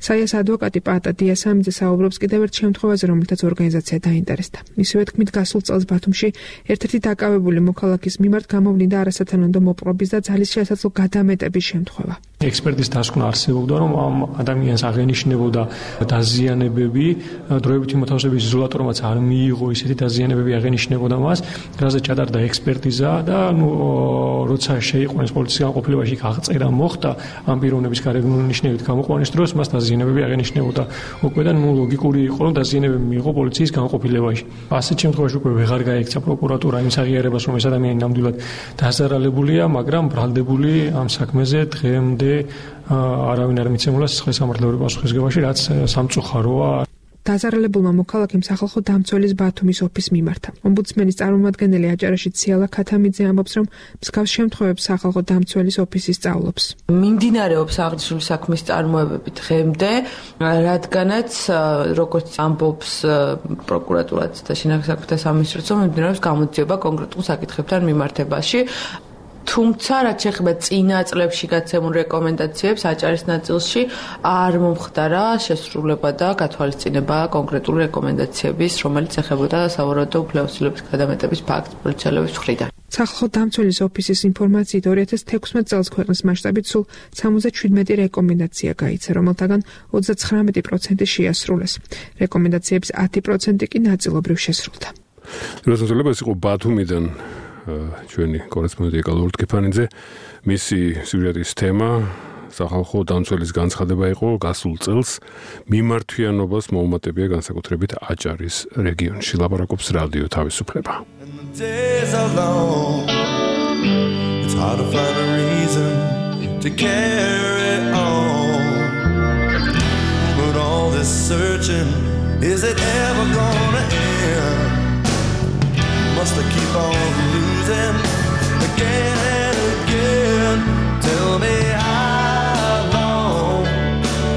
საიას ადვოკატი პაატა დიასამიძე საუბრობს კიდევ ერთ შემთხვევაზე, რომელთაც ორგანიზაცია დაინტერესდა. მისივე თქმით, გასულ წელს ბათუმში ერთ-ერთი დაკავებული მოქალაქის მიმართ გამოვლინდა არასათანადო მოპყრობის და ძალის შესაძლო გადამეტების შემთხვევა. ექსპერტის დასკვნა არსებობდა, რომ ამ ადამიანს აღენიშნებოდა დაზიანებები, დროებითი მოთავსების იზოლატორმაც არ მიიღო ისეთი დაზიანებები აღენიშნებოდა მას, რაზე ჩატარდა ექსპერტიზა და ნუ როცა შეიყვანეს პოლიციის განყოფილებაში აღწერა მოხდა ამ პიროვნების გარეგნული ნიშნებით გამოყვანის დროს მას დაზიანებები აღენიშნებოდა. უკვე და ნუ ლოგიკური იყო, რომ დაზიანებები მიიღო პოლიციის განყოფილებაში. ასეთ შემთხვევაში უკვე ვეღარ გაექცა პროკურატურა იმ აღიარებას, რომ ეს ადამიანი ნამდვილად დაზარალებულია, მაგრამ ბრალდებული ამ საქმეზე დღემდე არავინ არ მიცემულა სახელმწიფო პასუხისგებაში, რაც სამწუხაროა. დაზარალებულმა მოქალაქემ სახალხო დამცველის ბათუმის ოფისს მიმართა. ომბუდსმენის წარმომადგენელი აჭარაში ციალა ქათამიძე ამბობს, რომ მსგავს შემთხვევებს სახალხო დამცველის ოფისი სწავლობს. მიმდინარეობს აღნიშნული საქმის წარმოებები დღემდე, რადგანაც როგორც ამბობს პროკურატურაც და შინაგან საქმეთა სამინისტროც, მიმდინარეობს გამოძიება კონკრეტულ საკითხებთან მიმართებაში. თუმცა, რაც შეეხება წინა წლებში გაცემულ რეკომენდაციებს აჭარის ნაწილში არ მომხდარა შესრულება და გათვალისწინება კონკრეტული რეკომენდაციების, რომელიც ეხებოდა სავარაუდო უფლებამოსილების გადამეტების ფაქტს პოლიციელების მხრიდან. სახალხო დამცველის ოფისის ინფორმაციით ორი ათას თექვსმეტ წელს ქვეყნის მასშტაბით სულ სამოცდაშვიდმეტი რეკომენდაცია გაიცა, რომელთაგან ოცდაცხრამეტი პროცენტი შეასრულეს. რეკომენდაციების ათი პროცენტი კი ნაწილობრივ შესრულდა. როდესაც ეს იყო ბათუმიდან ჩვენი კორესპონდენტი გალურ ტკიფანიძე, მისი სიუჟეტის თემა სახალხო დამცველის განცხადება იყო გასულ წელს მიმართვიანობას მოუმატებია განსაკუთრებით აჭარის რეგიონში. ლაპარაკობს რადიო თავისუფლება. Is it ever gonna end? Must I keep on losing again and again? Tell me how long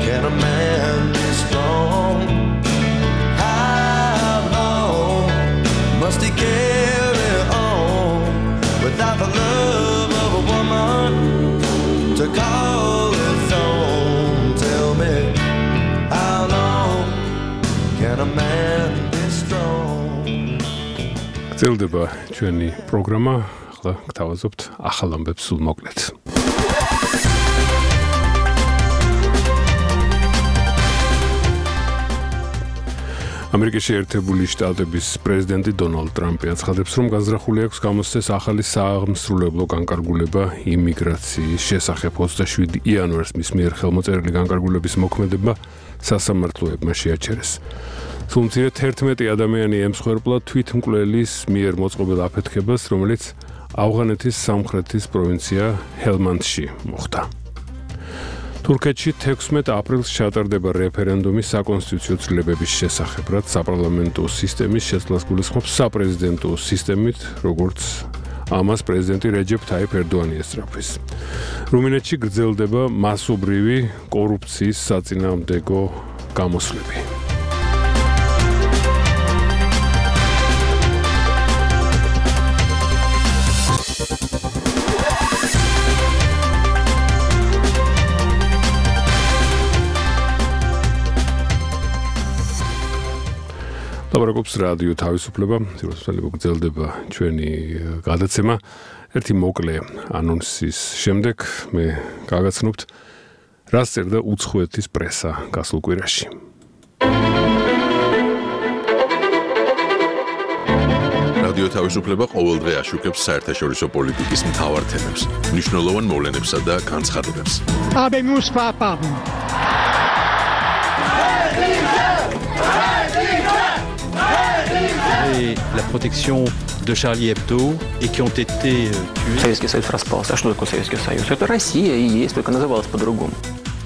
can a man be strong? How long must he carry on without the love of a woman to call his own? Tell me how long can a man be strong? გრძელდება ჩვენი პროგრამა, ახლა გთავაზობთ ახალ ამბებს სულ მოკლედ. ამერიკის შეერთებული შტატების პრეზიდენტი დონალდ ტრამპი აცხადებს, რომ განზრახული აქვს გამოსცეს ახალი სააღმსრულებლო განკარგულება იმიგრაციის შესახებ. ოცდაშვიდი იანვარს მის მიერ ხელმოწერილი განკარგულების მოქმედება სასამართლოებმა შეაჩერეს. სულ მცირე თერთმეტი ადამიანი ემსხვერპლა თვითმკვლელის მიერ მოწყობილ აფეთქებას, რომელიც ავღანეთის სამხრეთის პროვინცია ჰელმანდში მოხდა. თურქეთში თექვსმეტ აპრილს ჩატარდება რეფერენდუმი საკონსტიტუციო ცვლილებების შესახებ, რაც საპარლამენტო სისტემის შეცვლას გულისხმობს საპრეზიდენტო სისტემით, როგორც ამას პრეზიდენტი რეჯეფ თაიფ ერდოანი ესწრაფვის. რუმინეთში გრძელდება მასობრივი კორუფციის საწინააღმდეგო გამოსვლები. ლაპარაკობს რადიო თავისუფლება, სიუჟეტები გრძელდება ჩვენი გადაცემა. ერთი მოკლე ანონსის შემდეგ მე გაგაცნობთ, რას წერდა უცხოეთის პრესა გასულ კვირაში. რადიო თავისუფლება ყოველდღე აშუქებს საერთაშორისო პოლიტიკის მთავარ თემებს, მნიშვნელოვან მოვლენებსა და განცხადებებს. Habemos papam. La protection de Charlie Hebdo et qui ont été tués. Советский Союз распался. А что такое Советский Союз? Это Россия и есть, только называлась по-другому.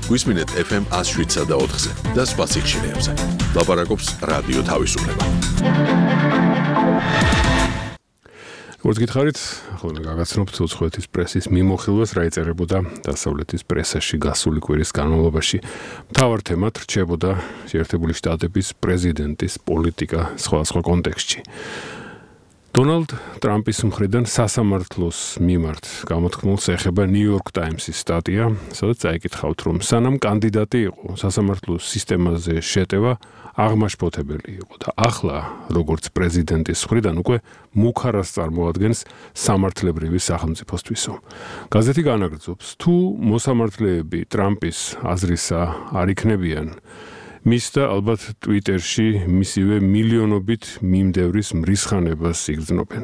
გვისმინეთ эф эм one oh seven და ოთხზე და სხვა სიხშირეებზე. ლაპარაკობს რადიო თავისუფლება. როგორც გითხარით, ახლა გაგაცნობთ უცხოეთის პრესის მიმოხილვას, რა იწერებოდა დასავლეთის პრესაში გასული კვირის განმავლობაში. მთავარ თემად რჩებოდა შეერთებული შტატების პრეზიდენტის პოლიტიკა სხვადასხვა კონტექსტში. დონალდ ტრამპის მხრიდან სასამართლოს მიმართ გამოთქმულს ეხება New York Times-ის სტატია, სადაც წაიკითხავთ, რომ სანამ კანდიდატი იყო სასამართლოს სისტემაზე შეტევა აღმაშფოთებელი იყო და ახლა, როგორც პრეზიდენტის მხრიდან უკვე მუქარას წარმოადგენს სამართლებრივი სახელმწიფოსთვისო. გაზეთი განაგრძობს, თუ მოსამართლეები ტრამპის აზრისა არ იქნებიან, მის და ალბათ ტვიტერში მისივე მილიონობით მიმდევრის მრისხანებას იგრძნობენ.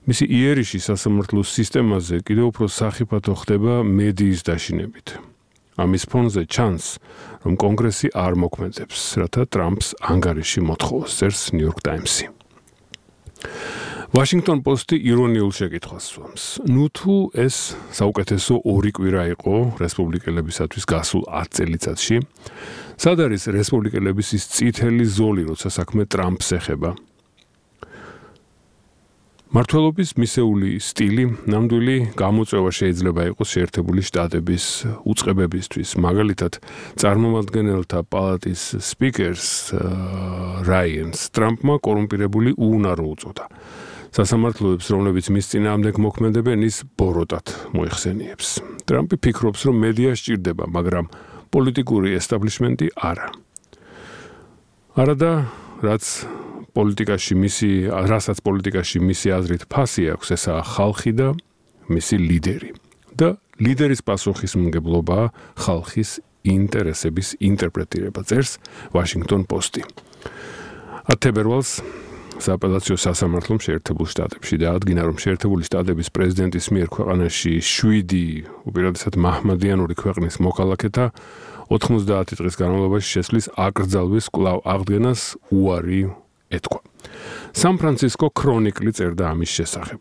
მისი იერიში სასამართლოს სისტემაზე კიდევ უფრო სახიფათო ხდება მედიის დაშინებით. ამის ფონზე ჩანს, რომ კონგრესი არ მოქმედებს, რათა ტრამპს ანგარიში მოთხოვოს, წერს New York Times-ი. Washington Post-ი ირონიულ შეკითხვას სვამს. ნუ თუ ეს საუკეთესო ორი კვირა იყო რესპუბლიკელებისათვის გასულ ათ წელიწადში, სად არის რესპუბლიკელების ის წითელი ზოლი, როცა საქმე ტრამპს ეხება? მართლობის მისეული სტილი, ნამდვილი გამოწვევა შეიძლება იყოს შეერთებული შტატების უწყებებისთვის. მაგალითად, წარმომადგენელთა პალატის სპიკერს რაიანს ტრამპმა კორუმპირებული უუნარო უწოდა. სასამართლოებს, რომლებიც მის წინააღმდეგ მოქმედებენ, ის ბოროტად მოიხსენიებს. ტრამპი ფიქრობს, რომ მედია სჭირდება, მაგრამ პოლიტიკური ესტაბლიშმენტი არა. არადა, რაც პოლიტიკაში მისი, რასაც პოლიტიკაში მისი აზრით ფასი აქვს, ესაა ხალხი და მისი ლიდერი. და ლიდერის პასუხისმგებლობაა ხალხის ინტერესების ინტერპრეტირება, წერს Washington Post-ი. ათ თებერვალს სააპელაციო სასამართლომ შეერთებულ შტატებში დაადგინა, რომ შეერთებული შტატების პრეზიდენტის მიერ ქვეყანაში შვიდი უპირატესად მაჰმადიანური ქვეყნის მოქალაქეთა ოთხმოცდაათი დღის განმავლობაში შესვლის აკრძალვის კვლავ აღდგენას უარი ეთქვა. სან-ფრანცისკო ქრონიკლი წერდა ამის შესახებ.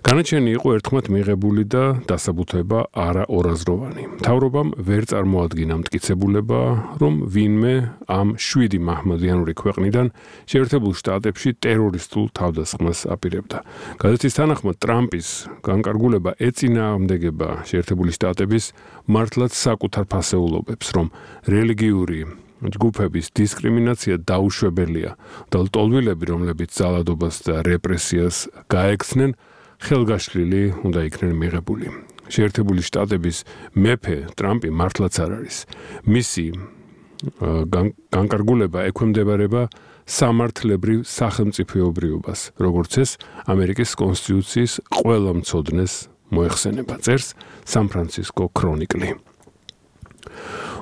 განაჩენი იყო ერთხმად მიღებული და დასაბუთება არა ორაზროვანი. მთავრობამ ვერ წარმოადგინა მტკიცებულება, რომ ვინმე ამ შვიდი მაჰმადიანური ქვეყნიდან შეერთებულ შტატებში ტერორისტულ თავდასხმას აპირებდა. გაზეთის თანახმად ტრამპის განკარგულება ეწინააღმდეგება შეერთებული შტატების მართლაც საკუთარ ფასეულობებს, რომ რელიგიური ჯგუფების დისკრიმინაცია დაუშვებელია და ლტოლვილები, რომლებიც ძალადობას და რეპრესიას გაექცნენ, ხელგაშლილი უნდა იქნენ მიღებული. შეერთებული შტატების მეფე ტრამპი მართლაც არ არის. მისი განკარგულება ექვემდებარება სამართლებრივ სახელმწიფოებრიობას, როგორც ეს ამერიკის კონსტიტუციის ყველა მცოდნეს მოეხსენება, წერს სან-ფრანცისკო ქრონიკლი.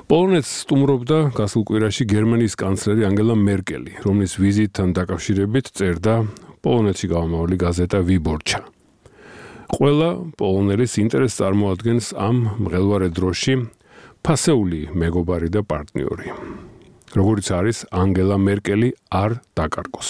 პოლონეთს სტუმრობდა გასულ კვირაში გერმანიის კანცლერი ანგელა მერკელი, რომლის ვიზიტთან დაკავშირებით წერდა პოლონეთში გამომავალი გაზეტა ვიბორჩა. ყველა პოლონელის ინტერესს წარმოადგენს ამ მღელვარე დროში ფასეული მეგობარი და პარტნიორი. როგორც არის ანგელა მერკელი არ დაკარგოს.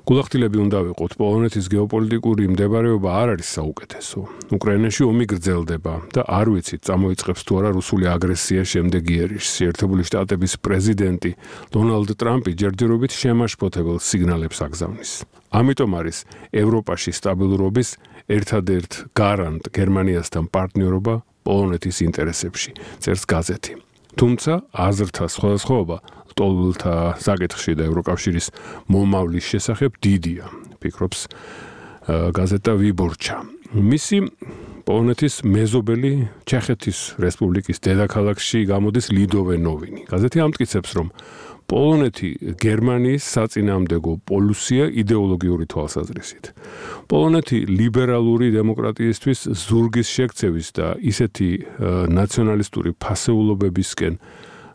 გულახდილები უნდა ვიყოთ, პოლონეთის გეოპოლიტიკური მდებარეობა არ არის საუკეთესო. უკრაინაში ომი გრძელდება და არ ვიცით, წამოიწყებს თუ არა რუსული აგრესია შემდეგ იერიშს. ერთებული შტატების პრეზიდენტი დონალდ ტრამპი ჯერჯერობით შემაშფოთებელ სიგნალებს აგზავნის. ამიტომ არის ევროპაში სტაბილურობის ერთადერთ გარანტ გერმანიასთან პარტნიორობა პოლონეთის ინტერესებში, წერს გაზეთი. თუმცა აზრთა სხვადასხვაობა ლტოლვილთა საკითხში და ევროკავშირის მომავლის შესახებ დიდია, ფიქრობს გაზეტა ვიბორჩა. მისი პოლონეთის მეზობელი ჩეხეთის რესპუბლიკის დედაქალაქში გამოდის ლიდოვე ნოვინი. გაზეთი ამტკიცებს, რომ პოლონეთი გერმანიის საწინააღმდეგო პოლუსია იდეოლოგიური თვალსაზრისით. პოლონეთი ლიბერალური დემოკრატიისთვის ზურგის შექცევის და ისეთი ნაციონალისტური ფასეულობებისკენ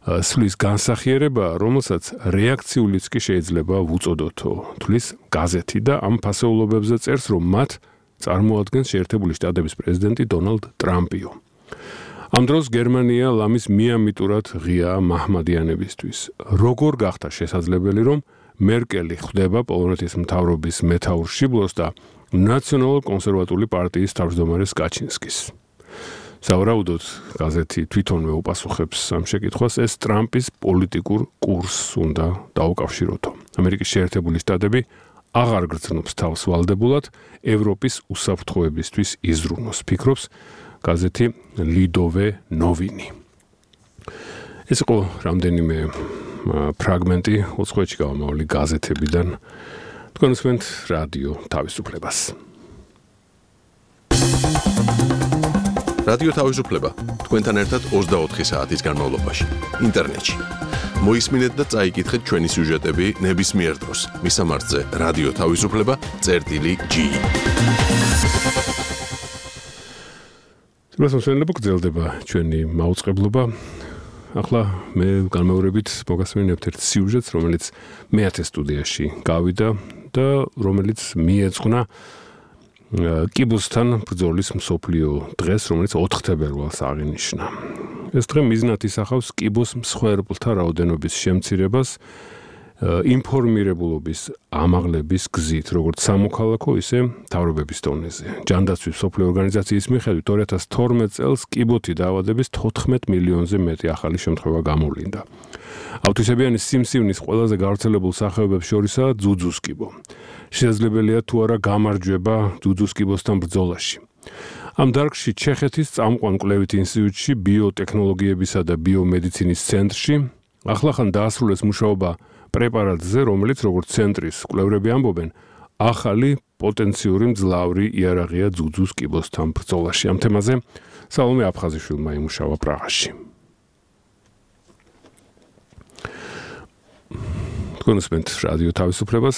სვლის განსახიერება, რომელსაც რეაქციულიც კი შეიძლება ვუწოდოთო, თვლის გაზეთი და ამ ფასეულობებზე წერს, რომ მათ წარმოადგენს შეერთებული შტატების პრეზიდენტი დონალდ ტრამპიო. ამ დროს გერმანია ლამის მიამიტურად ღია მაჰმადიანებისთვის. როგორ გახდა შესაძლებელი, რომ მერკელი ხვდება პოლონეთის მთავრობის მეთაურ შიბლოს და ნაციონალურ-კონსერვატული პარტიის თავმჯდომარეს კაჩინსკის. სავარაუდოდ, გაზეთი თვითონვე უპასუხებს ამ შეკითხვას, ეს ტრამპის პოლიტიკურ კურსს უნდა დაუკავშიროთო. ამერიკის შეერთებული შტატები აღარ გრძნობს თავს ვალდებულად ევროპის უსაფრთხოებისთვის იზრუნოს, ფიქრობს გაზეთი ლიდოვე ნოვინი. ეს იყო რამდენიმე ფრაგმენტი უცხოეთში გამომავალი გაზეთებიდან. თქვენ უსმენთ რადიო თავისუფლებას. რადიო თავისუფლება თქვენთან ერთად ოცდაოთხი საათის განმავლობაში ინტერნეტში. მოისმინეთ და წაიკითხეთ ჩვენი სიუჟეტები ნებისმიერ დროს. მისამართზე რადიო თავისუფლება წერტილი ჯი. მოსმენელები გრძელდება ჩვენი მაუწყებლობა. ახლა მე განმეორებით მოგასმენებთ ერთ სიუჟეტს, რომელიც მეათე სტუდიაში გავიდა და რომელიც მიეძღვნა კიბოსთან ბრძოლის მსოფლიო დღეს, რომელიც ოთხ თებერვალს აღინიშნა. ეს დღე მიზნად ისახავს კიბოს მსხვერპლთა რაოდენობის შემცირებას ინფორმირებულობის ამაღლების გზით, როგორც სამოქალაქო, ისე მთავრობების დონეზე. ჯანდაცვის მსოფლიო ორგანიზაციის მიხედვით ორი ათას თორმეტ წელს კიბოთი დაავადების თოთხმეტ მილიონზე მეტი ახალი შემთხვევა გამოვლინდა. ავტისებიანი სიმსივნის ყველაზე გავრცელებულ სახეობებს შორისაა ძუძუს კიბო. შესაძლებელია თუ არა გამარჯვება ძუძუს კიბოსთან ბრძოლაში. ამ დარგში ჩეხეთის წამყვან კვლევით ინსტიტუტში ბიოტექნოლოგიებისა და ბიომედიცინის ცენტრში ახლახან დაასრულეს მუშაობა პრეპარატზე, რომელიც როგორც ცენტრის კვლევრები ამბობენ, ახალი პოტენციური მძლავრი იარაღია ძუძუს კიბოსთან ბრძოლაში. ამ თემაზე სალომე აფხაზიშვილმა იმუშავა პრაღაში. თქვენ უსმენთ რადიო თავისუფლებას.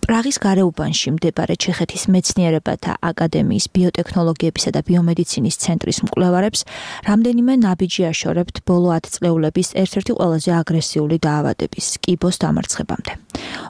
პრაღის გარეუბანში მდებარე ჩეხეთის მეცნიერებათა აკადემიის ბიოტექნოლოგიებისა და ბიომედიცინის ცენტრის მკვლევარებს რამდენიმე ნაბიჯი აშორებთ ბოლო ათწლეულების ერთ-ერთი ყველაზე აგრესიული დაავადების კიბოს დამარცხებამდე.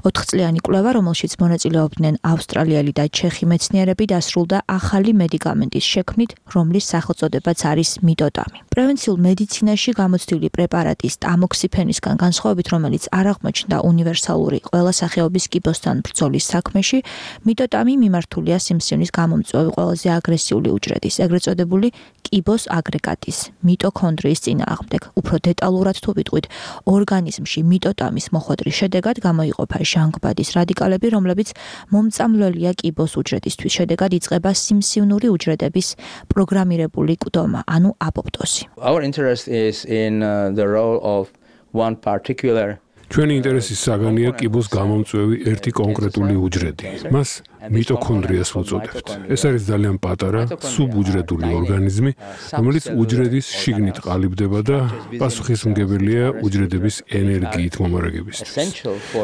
ოთხწლიანი კვლევა, რომელშიც მონაწილეობდნენ ავსტრალიელი და ჩეხი მეცნიერები, დასრულდა ახალი მედიკამენტის შექმნით, რომლის სახელწოდებაც არის მიტოტამი. პრევენციულ მედიცინაში გამოცდილი პრეპარატის ტამოქსიფენისგან განსხვავებით, რომელიც არ აღმოჩნდა უნივერსალური ყველა სახეობის კიბოსთან ბრძოლის საქმეში, მიტოტამი მიმართულია სიმსივნის გამომწვევი ყველაზე აგრესიული უჯრედის, ეგრეთ წოდებული კიბოს აგრეგატის, მიტოქონდრიის წინააღმდეგ. უფრო დეტალურად თუ ვიტყვით, ორგანიზმში მიტოტამის მოხვედრის შედეგად გამოიყოფა ჟანგბადის რადიკალები, რომლებიც მომწამლველია კიბოს უჯრედისთვის. შედეგად იწყება სიმსივნური უჯრედების პროგრამირებული კვდომა, ანუ აპოპტოზი. Our interest is in uh, the role of one particular ჩვენი ინტერესის საგანია კიბოს გამომწვევი ერთი კონკრეტული უჯრედი. მას მიტოქონდრიას ვუწოდებთ. ეს არის ძალიან პატარა, სუბუჯრედული ორგანიზმი, რომელიც უჯრედის შიგნით ყალიბდება და პასუხისმგებელია უჯრედების ენერგიით მომარაგებისთვის.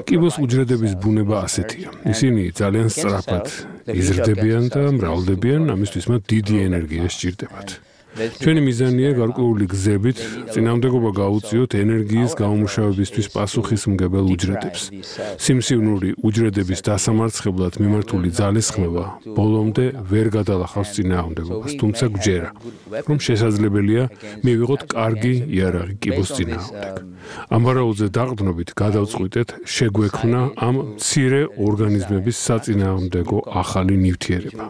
კიბოს უჯრედების ბუნება ასეთია. ისინი ძალიან სწრაფად იზრდებიან და მრავლდებიან, ამისთვის მათ დიდი ენერგია სჭირდებათ. ჩვენი მიზანია გარკვეული გზებით წინამდებობა გაუწიოთ ენერგიის გამომუშავებისთვის პასუხისმგებელ უჯრედებს. სიმსივნური უჯრედების დასამარცხებლად მიმართული ძალისხმევა ბოლომდე ვერ გადალახავს წინააღმდეგობას, თუმცა გვჯერა, რომ შესაძლებელია მივიღოთ კარგი იარაღი კიბოს წინააღმდეგ. ამ ვარაუდზე დაყრდნობით გადავწყვიტეთ შეგვექმნა ამ მცირე ორგანიზმების საწინააღმდეგო ახალი ნივთიერება.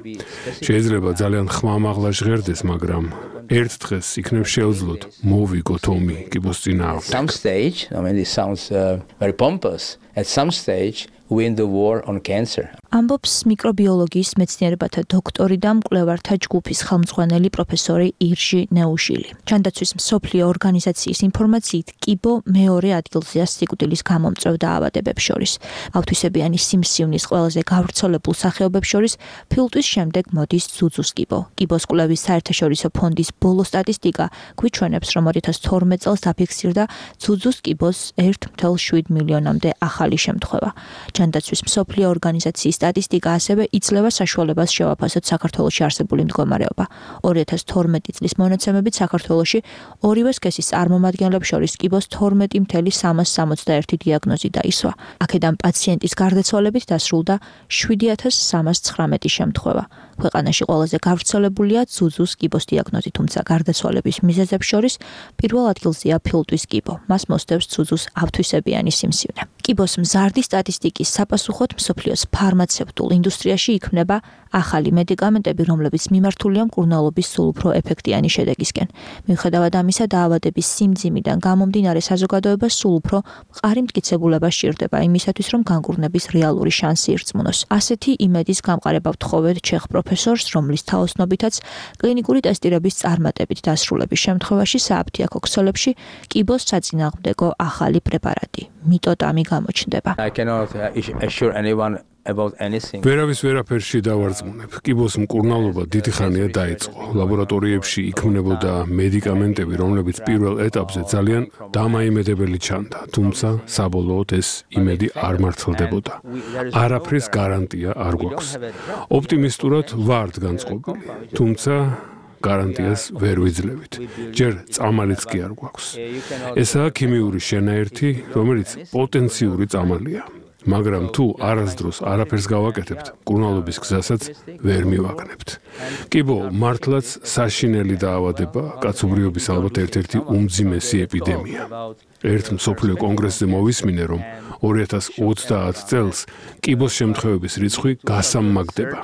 შეიძლება ძალიან ხმამაღლა ჟღერდეს, მაგრამ ერთ დღეს იქნებ შეუძლოთ მოვიგოთ ომი კიბოს წინააღმდეგ. Some stage, I mean this sounds uh, very pompous. At some stage win the war on cancer. ამბობს მიკრობიოლოგიის მეცნიერებათა დოქტორი და მკვლევართა ჯგუფის ხელმძღვანელი პროფესორი ირჟი ნეუშილი. ჯანდაცვის მსოფლიო ორგანიზაციის ინფორმაციით, კიბო მეორე ადგილზეა სიკვდილის გამომწვევ დაავადებებს შორის. ავთვისებიანი სიმსივნის ყველაზე გავრცელებულ სახეობებს შორის ფილტვის შემდეგ მოდის ძუძუს კიბო. კიბოს კვლევის საერთაშორისო ფონდის ბოლო სტატისტიკა გვიჩვენებს, რომ ორი ათას თორმეტ წელს დაფიქსირდა ძუძუს კიბოს ერთ მცდარ შვიდ მილიონამდე ახალი შემთხვევა. ჯანდაცვის მსოფლიო ორგანიზაციის სტატისტიკა ასევე იძლევა საშუალებას შევაფასოთ საქართველოში არსებული მდგომარეობა. ორი ათას თორმეტი წლის მონაცემებით საქართველოში ორივე სქესის წარმომადგენლებს შორის კიბოს თორმეტი მცდარ სამას სამოცდაერთი დიაგნოზი დაისვა. აქედან პაციენტის გარდაცვალებით დასრულდა შვიდი ათას სამას ცხრამეტი შემთხვევა. ქვეყანაში ყველაზე გავრცელებულია ძუძუს კიბოს დიაგნოზი, თუმცა გარდაცვალების მიზეზებს შორის პირველ ადგილზეა ფილტვის კიბო. მას მოსდევს ძუძუს ავთვისებიანი სიმსივნე. კიბოს მზარდი სტატისტიკის საპასუხოდ მსოფლიოს ფარმაცევტულ ინდუსტრიაში იქმნება ახალი მედიკამენტები, რომლებიც მიმართულია მკურნალობის სულ უფრო ეფექტიანი შედეგისკენ. მიუხედავად ამისა, დაავადების სიმძიმიდან გამომდინარე საზოგადოებას სულ უფრო მყარი მტკიცებულება სჭირდება იმისათვის, რომ განკურნების რეალური შანსი ირწმუნოს. ასეთი იმედის გამყარება ვთხოვეთ ჩეხ პროფესორს, რომლის თაოსნობითაც კლინიკური ტესტირების წარმატებით დასრულების შემთხვევაში სააფთიაქო ქსელებში კიბოს საწინააღმდეგო ახალი პრეპარატი მიტოტამი გამოჩნდება. I cannot uh, assure anyone about anything. ვერავის ვერაფერში დავარწმუნებ. კიბოს მკურნალობა დიდი ხანია დაიწყო. ლაბორატორიებში იქმნებოდა მედიკამენტები, რომლებიც პირველ ეტაპზე ძალიან დამაიმედებელი ჩანდა, თუმცა საბოლოოდ ეს იმედი არ მართლდებოდა. არაფრის გარანტია არ გვაქვს. ოპტიმისტურად ვართ განწყობილი, თუმცა გარანტიას ვერ ვიძლევით. ჯერ წამალიც კი არ გვაქვს. ესაა ქიმიური შენაერთი, რომელიც პოტენციური წამალია. მაგრამ თუ არასდროს არაფერს გავაკეთებთ, მკურნალობის გზასაც ვერ მივაგნებთ. კიბო მართლაც საშინელი დაავადება, კაცობრიობის ალბათ ერთ-ერთი უმძიმესი ეპიდემია. ერთ მსოფლიო კონგრესზე მოვისმინე, რომ ორი ათას ოცდაათ წელს კიბოს შემთხვევების რიცხვი გასამაგდება.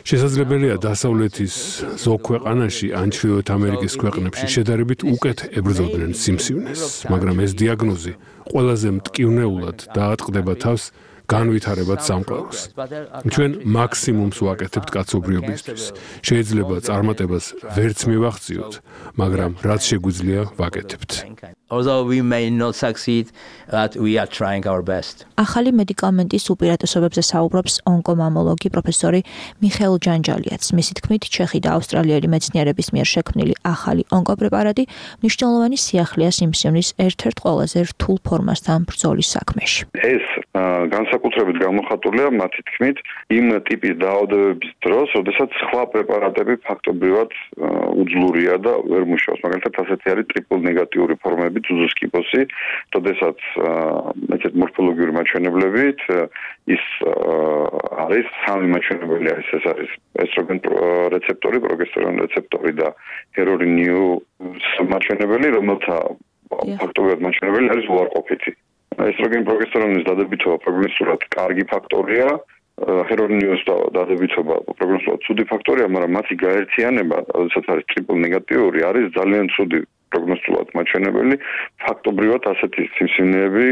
შესაძლებელია დასავლეთის ზოგ ქვეყანაში ან ჩრდილოეთ ამერიკის ქვეყნებში შედარებით უკეთ ებრძოდნენ სიმსივნეს, მაგრამ ეს დიაგნოზი ყველაზე მტკივნეულად დაატყდება თავს განვითარებად სამყაროს. ჩვენ მაქსიმუმს ვაკეთებთ კაცობრიობისთვის. შეიძლება წარმატებას ვერც მივახციოთ, მაგრამ რაც შეგვიძლია ვაკეთებთ. Although we may not succeed, but we are trying our best. ახალი მედიკამენტის უპირატესობებზე საუბრობს ონკომამოლოგი პროფესორი მიხეილ ჯანჯალიაც. მისი თქმით, ჩეხი და ავსტრალიელი მეცნიერების მიერ შექმნილი ახალი ონკოპრეპარატი მნიშვნელოვანი სიახლეა სიმსივნის ერთ-ერთ ყველაზე რთულ ფორმასთან ბრძოლის საქმეში. ეს განსაკუთრებით გამოხატულია მათი თქმით იმ ტიპის დაავადებების დროს, როდესაც სხვა პრეპარატები ფაქტობრივად უძლურია და ვერ მუშაობს. მაგალითად, ასეთი არის ტრიპლ ნეგატიური ფორმები ძუძუს კიბოსი, როდესაც მეცეთ მორფოლოგიური მაჩვენებლებით ის არის სამი მაჩვენებელი არის, ეს არის ესტროგენ რეცეპტორი, პროგესტერონ რეცეპტორი და ჰერორინიუ მაჩვენებელი, რომელთა ფაქტობრივად მაჩვენებელი არის უარყოფითი. ესტროგენ პროგესტერონის დადებითობა პროგნოსტულად კარგი ფაქტორია, ჰერორინიუს დადებითობა პროგნოსტულად ცუდი ფაქტორია, მაგრამ მათი გაერთიანება, როდესაც არის ტრიპლ ნეგატიური, არის ძალიან ცუდი პროგნოსტულად მაჩვენებელი. ფაქტობრივად ასეთი სიმსივნეები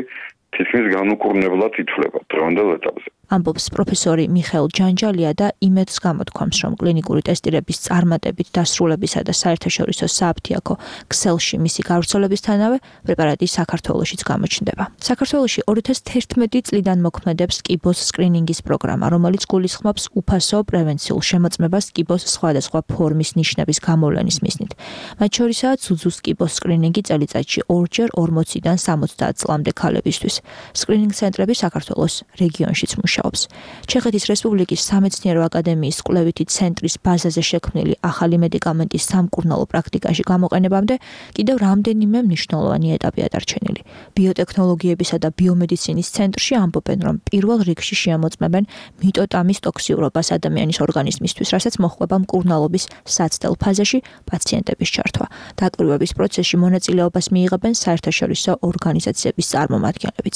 თითქმის განუკურნებლად ითვლება დღევანდელ ეტაპზე. ამბობს პროფესორი მიხეილ ჯანჯალია და იმედს გამოთქვამს, რომ კლინიკური ტესტირების წარმატებით დასრულებისა და საერთაშორისო საფთიაქო ქსელში მისი გავრცელებისთანავე პრეპარატი საქართველოშიც გამოჩნდება. საქართველოში ორი ათას თერთმეტი წლიდან მოქმედებს კიბოს სკრინინგის პროგრამა, რომელიც გულისხმობს უფასო პრევენციულ შემოწმებას კიბოს სხვადასხვა ფორმის ნიშნების გამოვლენის მიზნით. მათ შორისაა ძუძუს კიბოს სკრინინგი წელიწადში ორჯერ ორმოციდან სამოცდაათ წლამდე ქალებისთვის. სკრინინგ ცენტრები საქართველოს რეგიონშიც მუშაობს. ჩეხეთის რესპუბლიკის სამეცნიერო აკადემიის კვლევითი ცენტრის ბაზაზე შექმნილი ახალი მედიკამენტის სამკურნალო პრაქტიკაში გამოყენებამდე კიდევ რამდენიმე მნიშვნელოვანი ეტაპია დარჩენილი. ბიოტექნოლოგიებისა და ბიომედიცინის ცენტრში ამბობენ, რომ პირველ რიგში შეამოწმებენ მიტოტამის ტოქსიურობას ადამიანის ორგანიზმისთვის, რასაც მოჰყვება მკურნალობის საცდელ ფაზაში პაციენტების ჩართვა. დაკვირვების პროცესში მონაწილეობას მიიღებენ საერთაშორისო ორგანიზაციების წარმომადგენლებიც.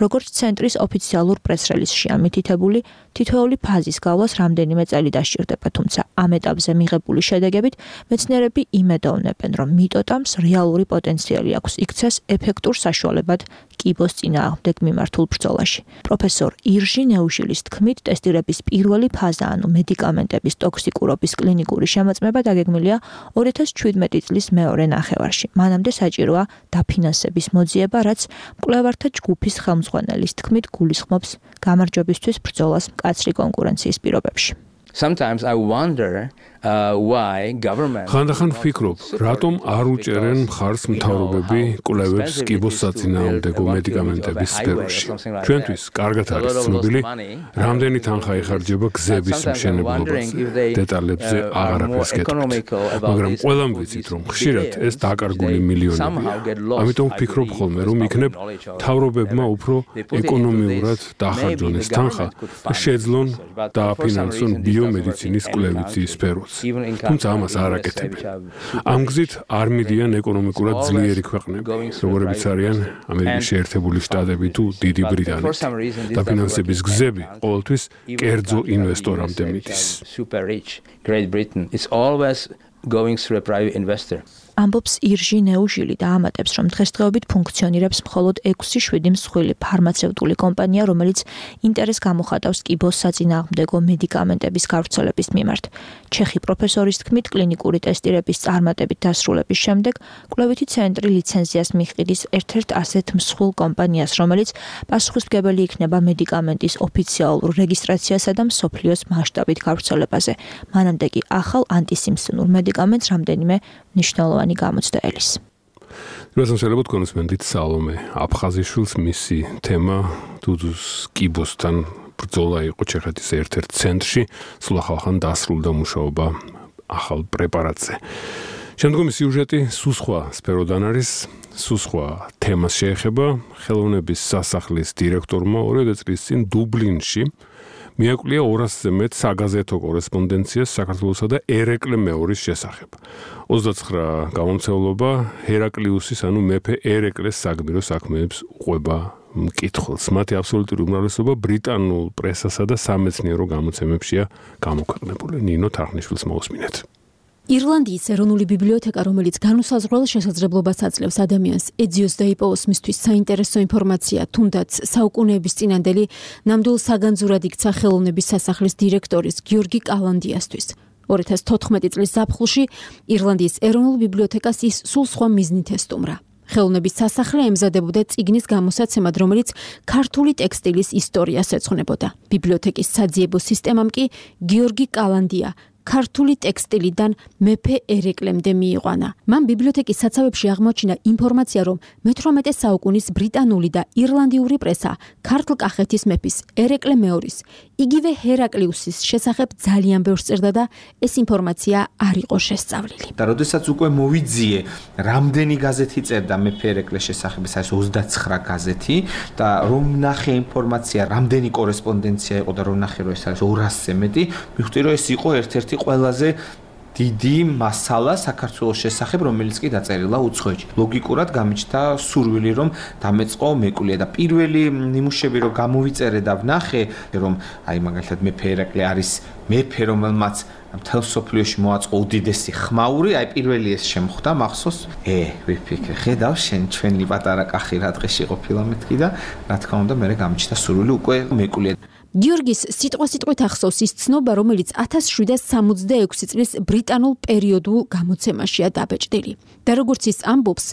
როგორც ცენტრის ოფიციალურ პრეს-რელიზში ამითითებული, თითოეული ფაზის გავლას რამდენიმე წელი დასჭირდება, თუმცა ამ ეტაპზე მიღებული შედეგებით მეცნიერები იმედოვნებენ, რომ მიტოტამს რეალური პოტენციალი აქვს იქცეს ეფექტურ საშუალებად კიბოს წინააღმდეგ მიმართულ ბრძოლაში. პროფესორ ირჟი ნეუშილის თქმით, ტესტირების პირველი ფაზა, ანუ მედიკამენტების ტოქსიკურობის კლინიკური შემოწმება დაგეგმილია ორი ათას ჩვიდმეტი წლის მეორე ნახევარში. მანამდე საჭიროა დაფინანსების მოძიება, რაც მკვლევართა ჯგუფის ხელმძღვანელის თქმით გულისხმობს გამარჯვებისთვის ბრძოლას მკაცრი კონკურენციის პირობებში. Sometimes I wonder uh, why government ხანდახან ვფიქრობ, რატომ არ უჭერენ მხარს მთავრობები კვლევებს კიბოს საწინააღმდეგო მედიკამენტების სფეროში. ჩვენთვის კარგად არის ცნობილი, რამდენი თანხა იხარჯება გზების მშენებლობაზე. დეტალებზე აღარ აკეთებთ. მაგრამ ყველამ ვიცით, რომ ხშირად ეს დაკარგული მილიონებია. ამიტომ ვფიქრობ ხოლმე, რომ იქნებ მთავრობებმა უფრო ეკონომიურად დაახარჯონ ეს თანხა და შეძლონ დააფინანსონ ბიომედიცინის კვლევითი სფეროც. თუმცა ამას არ აკეთებენ. ამ გზით არ მიდიან ეკონომიკურად ძლიერი ქვეყნები, როგორებიც არიან ამერიკის შეერთებული შტატები თუ დიდი ბრიტანეთი. დაფინანსების გზები ყოველთვის კერძო ინვესტორამდე მიდის. Great Britain is always going through a private investor. ამბობს ირჟი ნეუჟილი და ამატებს, რომ დღესდღეობით ფუნქციონირებს მხოლოდ ექვსი შვიდი მსხვილი ფარმაცევტული კომპანია, რომელიც ინტერესს გამოხატავს კიბოს საწინააღმდეგო მედიკამენტების გავრცელების მიმართ. ჩეხი პროფესორის თქმით, კლინიკური ტესტირების წარმატებით დასრულების შემდეგ კვლევითი ცენტრი ლიცენზიას მიჰყიდის ერთ-ერთ ასეთ მსხვილ კომპანიას, რომელიც პასუხისმგებელი იქნება მედიკამენტის ოფიციალურ რეგისტრაციასა და მსოფლიოს მასშტაბით გავრცელებაზე. მანამდე კი ახალ ანტისიმფსონურ მედიკამენტს რამდენიმე მნიშვნელოვანი გამოცდა ელის. რასთან შეიძლება კონსმენდით სალომე აფხაზიშვილს მისი თემა დუძუს კიბოსთან ბრძოლა იყო ჩეხეთის ერთ-ერთ ცენტრში, სულ ახალხან დასრულდა მუშაობა ახალ პრეპარატზე. შემდგომი სიუჟეტი სულ სხვა სფეროდან არის, სულ სხვა თემას შეეხება. ხელოვნების სასახლის დირექტორმა ორი წლის წინ დუბლინში მიაკვლია ორასზე მეტ საგაზეთო კორესპონდენციას საქართველოსა და ერეკლე მეორის შესახებ. ოცდაცხრა გამომცემლობა ჰერაკლიუსის, ანუ მეფე ერეკლეს საგმირო საქმეებს უყვება მკითხველს. მათი აბსოლუტური უმრავლესობა ბრიტანულ პრესასა და სამეცნიერო გამოცემებშია გამოქვეყნებული. ნინო თარხნიშვილს მოусმინეთ. ირლანდიის ეროვნული ბიბლიოთეკა, რომელიც განუსაზღვრელ შესაძლებლობას აძლევს ადამიანს ეძიოს და იპოვოს მისთვის საინტერესო ინფორმაცია, თუნდაც საუკუნეების წინანდელი ნამდვილ საგანძურად იქცა ხელოვნების სასახლის დირექტორის გიორგი კალანდიასთვის. ორი ათას თოთხმეტი წლის ზაფხულში ირლანდიის ეროვნულ ბიბლიოთეკას ის სულ სხვა მიზნით ესტუმრა. ხელოვნების სასახლე ემზადებოდა წიგნის გამოსაცემად, რომელიც ქართული ტექსტილის ისტორიას ეძღვნებოდა. ბიბლიოთეკის საძიებო სისტემამ კი გიორგი კალანდია ქართული ტექსტილიდან მეფე ერეკლემდე მიიყვანა. მან ბიბლიოთეკის საცავებში აღმოჩინა ინფორმაცია, რომ მეთვრამეტე საუკუნის ბრიტანული და ირლანდიური პრესა ქართლ-კახეთის მეფის ერეკლე მეორის, იგივე ჰერაკლიუსის შესახებ ძალიან ბევრს წერდა და ეს ინფორმაცია არ იყო შესწავლილი. და როდესაც უკვე მოვიძიე, რამდენი გაზეთი წერდა მეფე ერეკლეს შესახებ, ეს არის ოცდაცხრა გაზეთი და რომ ნახე ინფორმაცია, რამდენი კორესპონდენცია იყო და რომ ნახე, რომ ეს არის ორასზე მეტი, მივხვდი, რომ ეს იყო ერთ-ერთი ყველაზე დიდი მასალა საქართველოს შესახებ, რომელიც კი დაწერილა უცხოეთში. ლოგიკურად გამიჩნდა სურვილი, რომ დამეწყო მეკვლია და პირველი ნიმუშები რომ გამოვიწერე და ვნახე, რომ აი მაგალითად მეფე ერეკლე არის მეფე, რომელმაც მთელ სოფლიოში მოაწყო უდიდესი ხმაური, აი პირველი ეს შემხვდა მახსოვს. ე, ვიფიქრე, ხედავ შენ ჩვენი პატარა კახი რა დღეში ყოფილა მეთქი და რა თქმა უნდა მე გამიჩნდა სურვილი უკვე მეკვლია. გიორგის სიტყვა-სიტყვით ახსოვს ის ცნობა, რომელიც ათას შვიდას სამოცდაექვსი წლის ბრიტანულ პერიოდულ გამოცემაშია დაბეჭდილი. და როგორც ის ამბობს,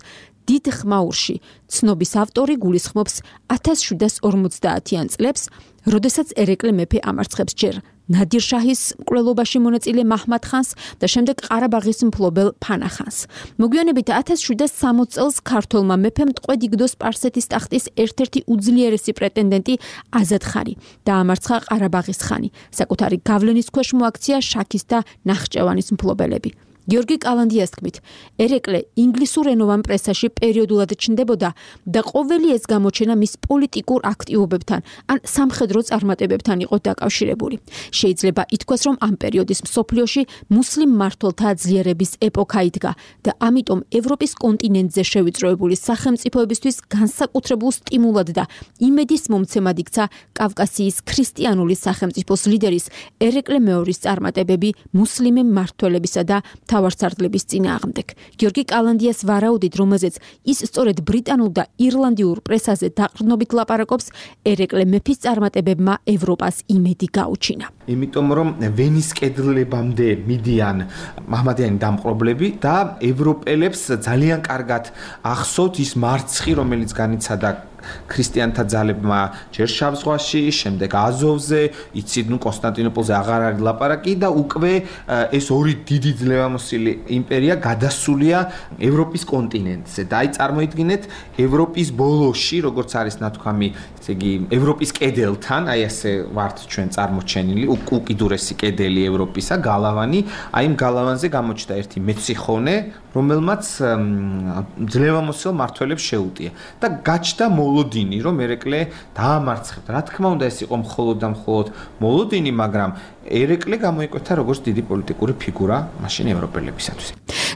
დიდ ხმაურში ცნობის ავტორი გულისხმობს ათას შვიდას ორმოცდაათიან წლებს, როდესაც ერეკლე მეფე ამარცხებს ჯერ ნადირ შაჰის მკვლელობაში მონაწილე მაჰმად ხანს და შემდეგ ყარაბაღის მფლობელ ფანა ხანს. მოგვიანებით ათას შვიდას სამოცდაოთხ წელს ქართველმა მეფემ ტყვედ იგდო სპარსეთის ტახტის ერთ-ერთი უძლიერესი პრეტენდენტი აზად ხანი და ამარცხა ყარაბაღის ხანი. საკუთარი გავლენის ქვეშ მოაქცია შაქის და ნახჭევანის მფლობელები. გიორგი კალანდიას თქმით, ერეკლე ინგლისურენოვან პრესაში პერიოდულად ჩნდებოდა და ყოველი ეს გამოჩენა მის პოლიტიკურ აქტივობებთან ან სამხედრო წარმატებებთან იყო დაკავშირებული. შეიძლება ითქვას, რომ ამ პერიოდის მსოფლიოში მუსლიმ მმართველთა ძლიერების ეპოქა იდგა და ამიტომ ევროპის კონტინენტზე შევიწროებული სახელმწიფოებისთვის განსაკუთრებულ სტიმულად და იმედის მომცემად იქცა კავკასიის ქრისტიანული სახელმწიფოს ლიდერის ერეკლე მეორის წარმატებები მუსლიმი მმართველებისა და თავარსარდლების წინააღმდეგ. გიორგი კალანდიას ვარაუდით, რომელზეც ის სწორედ ბრიტანულ და ირლანდიურ პრესაზე დაყრდნობით ლაპარაკობს, ერეკლე მეფის წარმატებებმა ევროპას იმედი გაუჩინა. იმიტომ რომ ვენის კედლებამდე მიდიან მაჰმადიანი დამპყრობლები და ევროპელებს ძალიან კარგად ახსოვთ ის მარცხი, რომელიც განიცადა ქრისტიანთა ძალებმა ჯერ შავ ზღვაში, შემდეგ აზოვზე, იცით, ნუ კონსტანტინოპოლზე აღარ არის ლაპარაკი და უკვე ეს ორი დიდი ძლევამოსილი იმპერია გადასულია ევროპის კონტინენტზე. და აი წარმოიდგინეთ, ევროპის ბოლოში, როგორც არის ნათქვამი, ესე იგი, ევროპის კედელთან, აი ასე ვართ ჩვენ წარმოჩენილი, უკიდურესი კედელი ევროპისა, გალავანი, აი იმ გალავანზე გამოჩნდა ერთი მეციხონე, რომელმაც ძლევამოსილ მმართველებს შეუტია და გაჩნდა მოლოდინი, რომ ერეკლე დაამარცხებდა. რა თქმა უნდა, ეს იყო მხოლოდ და მხოლოდ მოლოდინი, მაგრამ ერეკლე გამოიკვეთა როგორც დიდი პოლიტიკური ფიგურა მაშინ ევროპელებისათვის.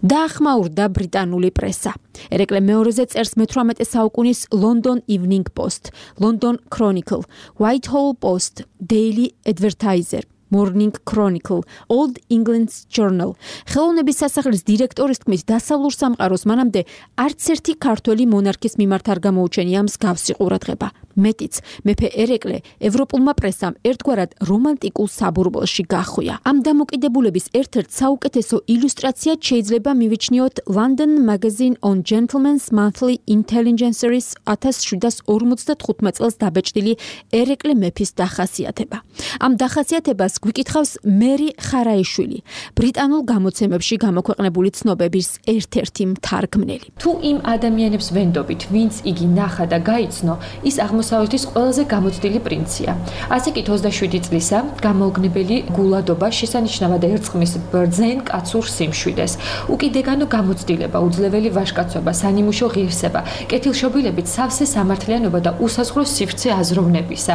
დაახმაურდა ბრიტანული პრესა. ერეკლე მეორეზე წერს მეთვრამეტე საუკუნის London Evening Post, London Chronicle, Whitehall Post, Daily Advertiser, Morning Chronicle, Old England's Journal. ხელოვნების სასახლის დირექტორის თქმით, დასავლურ სამყაროს მანამდე არც ერთი ქართველი მონარქის მიმართ არ გამოუჩენია მსგავსი ყურადღება. მეტიც, მეფე ერეკლე ევროპულმა პრესამ ერთგვარად რომანტიკულ საბურბელში გახვია. ამ დამოკიდებულების ერთ-ერთ საუკეთესო ილუსტრაციად შეიძლება მივიჩნიოთ London Magazine on Gentlemen's Monthly Intelligenceries ათას შვიდას ორმოცდათხუთმეტ წელს დაბეჭდილი ერეკლე მეფის დახასიათება. ამ დახასიათებას გვიკითხავს მერი ხარაიშვილი, ბრიტანულ გამოცემებში გამოქვეყნებული ცნობების ერთ-ერთი მთარგმნელი. თუ იმ ადამიანებს ვენდობით, ვინც იგი ნახა და გაიცნო, ის აღმოსავლეთის ყველაზე გამოცდილი პრინცია. ასე კი ოცდაშვიდი წლისა გამოუგნებელი გულადობა შესანიშნავად ერწყმის ბრძენ კაცურ სიმშვიდეს. უკიდეგანო გამოცდილება, უძლეველი ვაჟკაცობა, სანიმუშო ღირსება, კეთილშობილებით სავსე სამართლიანობა და უსაზღვრო სივრცე აზროვნებისა.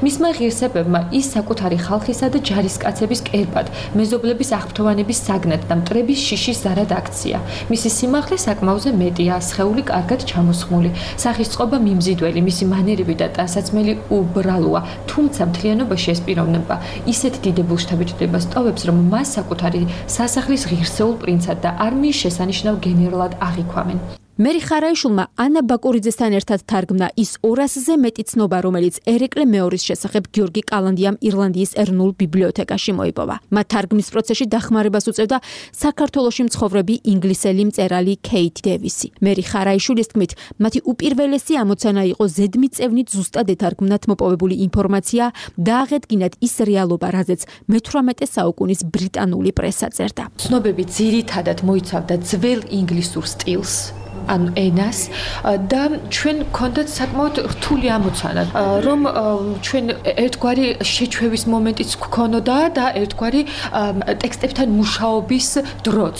მისმა ღირსებებმა ის საკუთარი ხალხისა და ჯარისკაცების კერპად, მეზობლების აღფრთოვანების საგნად და მტრების შიშის ზარად აქცია. მისი სიმაღლე საკმაოზე მეტია, სხეული კარგად ჩამოსხმული, სახის წყობა მიმზიდველი, მისი მანერები და ტანსაცმელი უბრალოა, თუმცა მთლიანობაში ეს პიროვნება ისეთ დიდებულ შთაბეჭდილებას ტოვებს, რომ მას საკუთარი სასახლის ღირსეულ პრინცად და არმიის შესანიშნავ გენერალად აღიქვამენ. მერი ხარაიშვილმა ანა ბაკურიძესთან ერთად თარგმნა ის ორასზე მეტი ცნობა, რომელიც ერეკლე მეორის შესახებ გიორგი კალანდიამ ირლანდიის ეროვნულ ბიბლიოთეკაში მოიპოვა. მათ თარგმნის პროცესში დახმარებას უწევდა საქართველოში მცხოვრები ინგლისელი მწერალი კეით დევისი. მერი ხარაიშვილის თქმით, მათი უპირველესი ამოცანა იყო ზედმიწევნით ზუსტად ეთარგმნათ მოპოვებული ინფორმაცია და აღედგინათ ის რეალობა, რაზეც მეთვრამეტე საუკუნის ბრიტანული პრესა წერდა. ცნობები ძირითადად მოიცავდა ძველ ინგლისურ სტილს. ანუ ენას და ჩვენ გქონდათ საკმაოდ რთული ამოცანა, რომ ჩვენ ერთგვარი შეჩვევის მომენტიც გქონოდა და ერთგვარი ტექსტებთან მუშაობის დროც.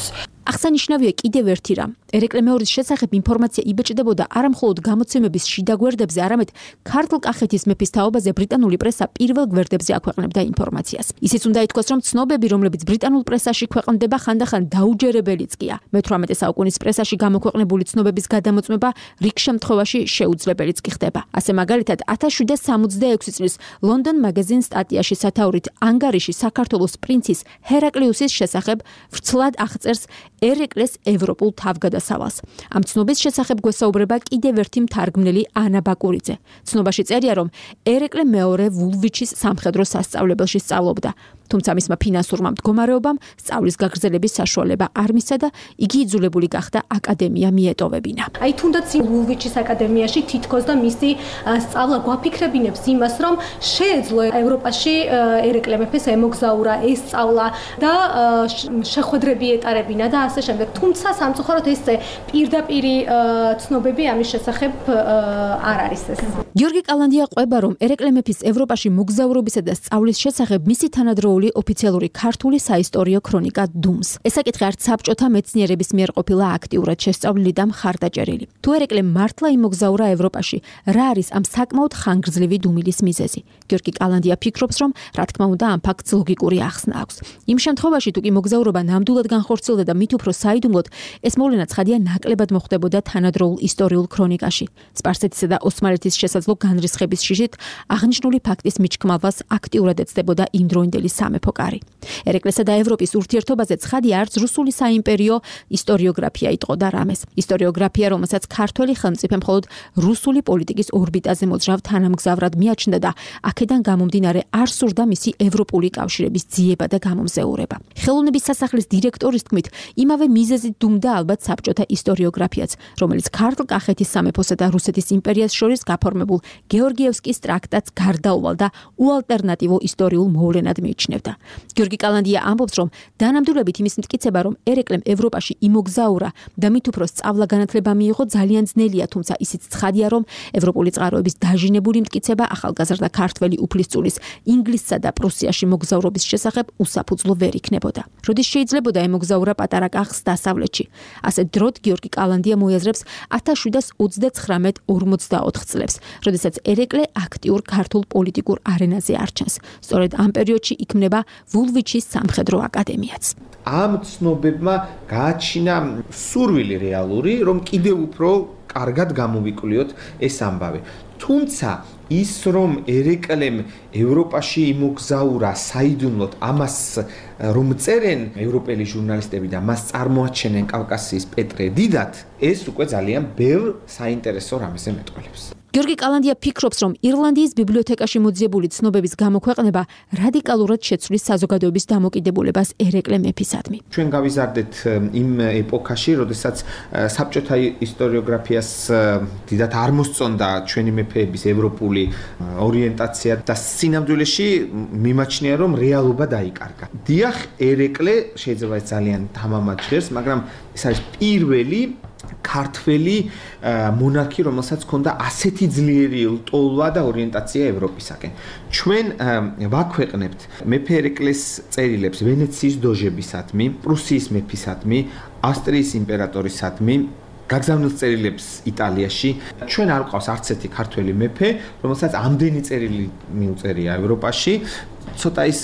აღსანიშნავია კიდევ ერთი რამ. ერეკლე მეორის შესახებ ინფორმაცია იბეჭდებოდა არა მხოლოდ გამოცემების შიდა გვერდებზე, არამედ ქართლ-კახეთის მეფის თაობაზე ბრიტანული პრესა პირველ გვერდებზე აქვეყნებდა ინფორმაციას. ისიც უნდა ითქვას, რომ ცნობები, რომლებიც ბრიტანულ პრესაში ქვეყნდება, ხანდახან დაუჯერებელიც კია. მეთვრამეტე საუკუნის პრესაში გამოქვეყნებული ცნობების გადამოწმება რიგ შემთხვევაში შეუძლებელიც კი ხდება. ასე მაგალითად, ათას შვიდას სამოცდაექვსი წლის London Magazine სტატიაში სათაურით ანგარიში საქართველოს პრინცის ჰერაკლიუსის შესახებ ვრცლად აღწერს ერეკლეს ევროპულ თავგადასავლებს უსწრებდა სავალს. ამ ცნობის შესახებ გვესაუბრება კიდევ ერთი მთარგმნელი ანა ბაკურიძე. ცნობაში წერია, რომ ერეკლე მეორე ვულვიჩის სამხედრო სასწავლებელში სწავლობდა. თუმცა მისმა ფინანსურმა მდგომარეობამ სწავლის გაგრძელების საშუალება არ მისცა და იგი იძულებული გახდა აკადემია მიეტოვებინა. აი თუნდაც ვულვიჩის აკადემიაში თითქოს და მისი სწავლა გვაფიქრებინებს იმას, რომ შეეძლო ევროპაში ერეკლე მეფეს ემოგზაურა, ესწავლა და შეხვედრები ეტარებინა და ასე შემდეგ. თუმცა სამწუხაროდ ეს პირდაპირი ცნობები ამის შესახებ არ არის ეს. გიორგი კალანდია ყვება, რომ ერეკლე მეფის ევროპაში მოგზაურობისა და სწავლის შესახებ მისი თანადროული ოფიციალური ქართული საისტორიო ქრონიკა დუმს. ეს საკითხი არც საბჭოთა მეცნიერების მიერ ყოფილა აქტიურად შესწავლილი და მხარდაჭერილი. თუ ერეკლე მართლა იმოგზაურა ევროპაში, რა არის ამ საკმაოდ ხანგრძლივი დუმილის მიზეზი? გიორგი კალანდია ფიქრობს, რომ რა თქმა უნდა ამ ფაქტს ლოგიკური ახსნა აქვს. იმ შემთხვევაში, თუ კი მოგზაურობა ნამდვილად განხორციელდა და მით უფრო საიდუმლოდ, ეს მოვლენა ცხადია ნაკლებად მოხდებოდა თანადროულ ისტორიულ ქრონიკაში. სპარსეთისა და ოსმალეთის შესაძლო განრისხების შიშით აღნიშნული ფაქტის მიჩქმალვას აქტიურად ეცდებოდა იმდროინდელი სამეფო კარი. ერეკლესა და ევროპის ურთიერთობაზე ცხადია არც რუსული საიმპერიო ისტორიოგრაფია იტყოდა რამეს. ისტორიოგრაფია, რომელსაც ქართველი ხელმწიფე მხოლოდ რუსული პოლიტიკის ორბიტაზე მოძრავ თანამგზავრად მიაჩნდა და აქედან გამომდინარე არ სურდა მისი ევროპული კავშირების ძიება და გამომზეურება. ხელოვნების სასახლის დირექტორის თქმით, იმავე მიზეზით დუმდა ალბათ საბჭოთა ისტორიოგრაფიაც, რომელიც ქართლ კახეთის სამეფოსა და რუსეთის იმპერიას შორის გაფორმებულ გეორგიევსკის ტრაქტატს გარდაუვალ და უალტერნატივო ისტორიულ მოვლენად მიიჩნევდა. გიორგი კალანდია ამბობს, რომ დანამდვილებით იმის მტკიცება, რომ ერეკლემ ევროპაში იმოგზაურა და მით უფრო სწავლა-განათლება მიიღო ძალიან ძნელია, თუმცა ისიც ცხადია, რომ ევროპული წყაროების დაჟინებული მტკიცება ახალგაზრდა ქართველი უფლისწულის ინგლისსა და პრუსიაში მოგზაურობის შესახებ უსაფუძვლო ვერ იქნებოდა. როდის შეიძლებოდა ემოგზაურა პატარა კახს დასავლეთში? ასე დროდ გიორგი კალანდია მოიაზრებს ათას შვიდსათ ოცდაცხრამეტ ორმოცდაოთხ წლებს, როდესაც ერეკლე აქტიურ ქართულ პოლიტიკურ არენაზე არჩენს. სწორედ ამ პერიოდში იქმნება ვულვიჩის სამხედრო აკადემიაც. ამ ცნობებმა გააჩინა სურვილი რეალური, რომ კიდევ უფრო კარგად გამოვიკვლიოთ ეს ამბავი. თუმცა ის რომ ერეკლემ ევროპაში იმოგზაურა საიდუმლოდ, ამას რომ წერენ ევროპელი ჟურნალისტები და მას წარმოაჩენენ კავკასიის პეტრე დიდად, ეს უკვე ძალიან ბევრ საინტერესო რამეზე მეტყველებს. გიორგი კალანდია ფიქრობს, რომ ირლანდიის ბიბლიოთეკაში მოძიებული ცნობების გამოქვეყნება რადიკალურად შეცვლის საზოგადოების დამოკიდებულებას ერეკლე მეფისადმი. ჩვენ გავიზარდეთ იმ ეპოქაში, როდესაც საბჭოთა ისტორიოგრაფიას დიდად არ მოსწონდა ჩვენი მეფეების ევროპული ორიენტაცია და სინამდვილეში მიმაჩნია, რომ რეალობა დაიკარგა. დიახ, ერეკლე შეიძლება ძალიან თამამად ჟღერს, მაგრამ ეს არის პირველი ქართველი მონარქი, რომელსაც ჰქონდა ასეთი ძლიერი ლტოლვა და ორიენტაცია ევროპისაკენ. ჩვენ ვაქვეყნებთ მეფე ერეკლეს წერილებს ვენეციის დოჟებისადმი, პრუსიის მეფისადმი, ავსტრიის იმპერატორისადმი, გაგზავნილ წერილებს იტალიაში. ჩვენ არ ყავს არც ერთი ქართველი მეფე, რომელსაც ამდენი წერილი მიუწერია ევროპაში. ცოტა ის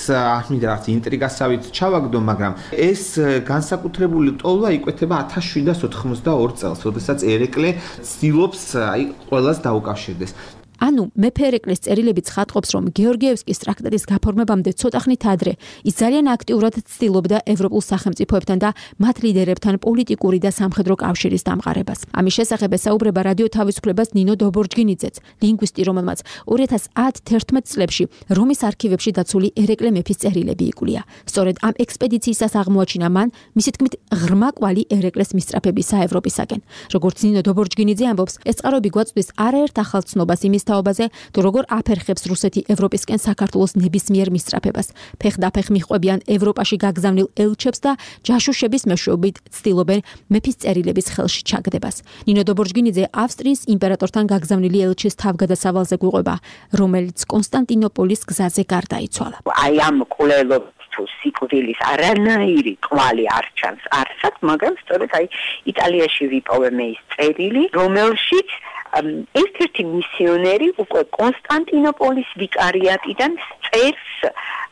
მინდა რაღაც ინტრიგასავით ჩავაგდო, მაგრამ ეს განსაკუთრებული ტოლვა იკვეთება ათას შვიდსათ ოთხმოცდაორ წელს, როდესაც ერეკლე ცდილობს აი ყველას დაუკავშირდეს. ანუ მეფე ერეკლეს წერილები ცხადყოფს, რომ გეორგიევსკის ტრაქტატის გაფორმებამდე ცოტა ხნით ადრე ის ძალიან აქტიურად ცდილობდა ევროპულ სახელმწიფოებთან და მათ ლიდერებთან პოლიტიკური და სამხედრო კავშირის დამყარებას. ამის შესახებ ესაუბრება რადიო თავისუფლებას ნინო დობორჯგინიძეც, ლინგვისტი, რომელმაც ორი ათას ათი-თერთმეტ წლებში რომის არქივებში დაცული ერეკლე მეფის წერილები იკვლია. სწორედ ამ ექსპედიციისას აღმოაჩინა მან, მისი თქმით, ღრმა კვალი ერეკლეს მისწრაფებისა ევროპისაკენ. როგორც ნინო დობორჯგინიძე ამბობს, ეს წყაროები გვაწვდის არაერთ ახალ ცნობას იმის თაობაზე, თუ როგორ აფერხებს რუსეთი ევროპისკენ საქართველოს ნებისმიერ მისწრაფებას. ფეხდაფეხ მიჰყვებიან ევროპაში გაგზავნილ ელჩებს და ჯაშუშების მეშვეობით ცდილობენ მეფის წერილების ხელში ჩაგდებას. ნინო დობორჯგინიძე ავსტრიის იმპერატორთან გაგზავნილი ელჩის თავგადასავალზე გვიყვება, რომელიც კონსტანტინოპოლის გზაზე გარდაიცვალა. აი ამ კვლელობს თუ სიკვდილის არანაირი კვალი არ ჩანს არსად, მაგრამ სწორედ აი იტალიაში ვიპოვე ის წერილი, რომელშიც ერთ-ერთი მისიონერი უკვე კონსტანტინოპოლის ვიკარიატიდან წერს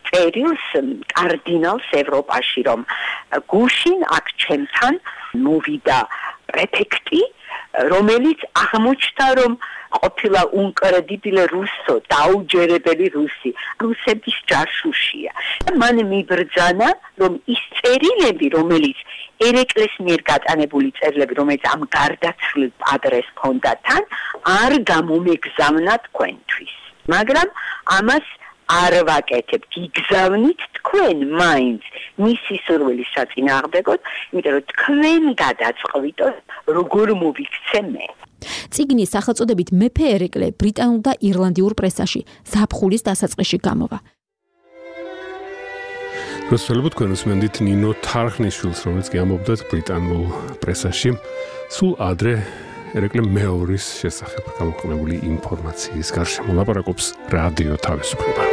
წერილს კარდინალს ევროპაში, რომ გუშინ აქ ჩემთან მოვიდა პრეფექტი, რომელიც აღმოჩნდა, რომ ყოფილა უნკრედიბილე რუსო, დაუჯერებელი რუსი, რუსების ჯაშუშია. და მან მიბრძანა, რომ ის წერილები, რომელიც ერეკლეს მიერ გატანებული წერილები, რომელიც ამ გარდაცვლილ პადრეს ჰქონდა თან, არ გამომეგზავნა თქვენთვის. მაგრამ ამას არ ვაკეთებ, გიგზავნით თქვენ მაინც მისი სურვილის საწინააღმდეგოდ, იმიტომ რომ თქვენ გადაწყვიტოთ, როგორ მოვიქცე მე. წიგნის სახელწოდებით მეფე ერეკლე ბრიტანულ და ირლანდიურ პრესაში ზაფხულის დასაწყისში გამოვა. რუსთაველო თქვენ უსმენთ ნინო თარხნიშვილს, რომელიც გამოვიდა ბრიტანულ პრესაში. სულ ადრე ერეკლე მეორის შესახებ გამოქვეყნებული ინფორმაციის გარშემო ლაპარაკობს რადიო თავისუფლება.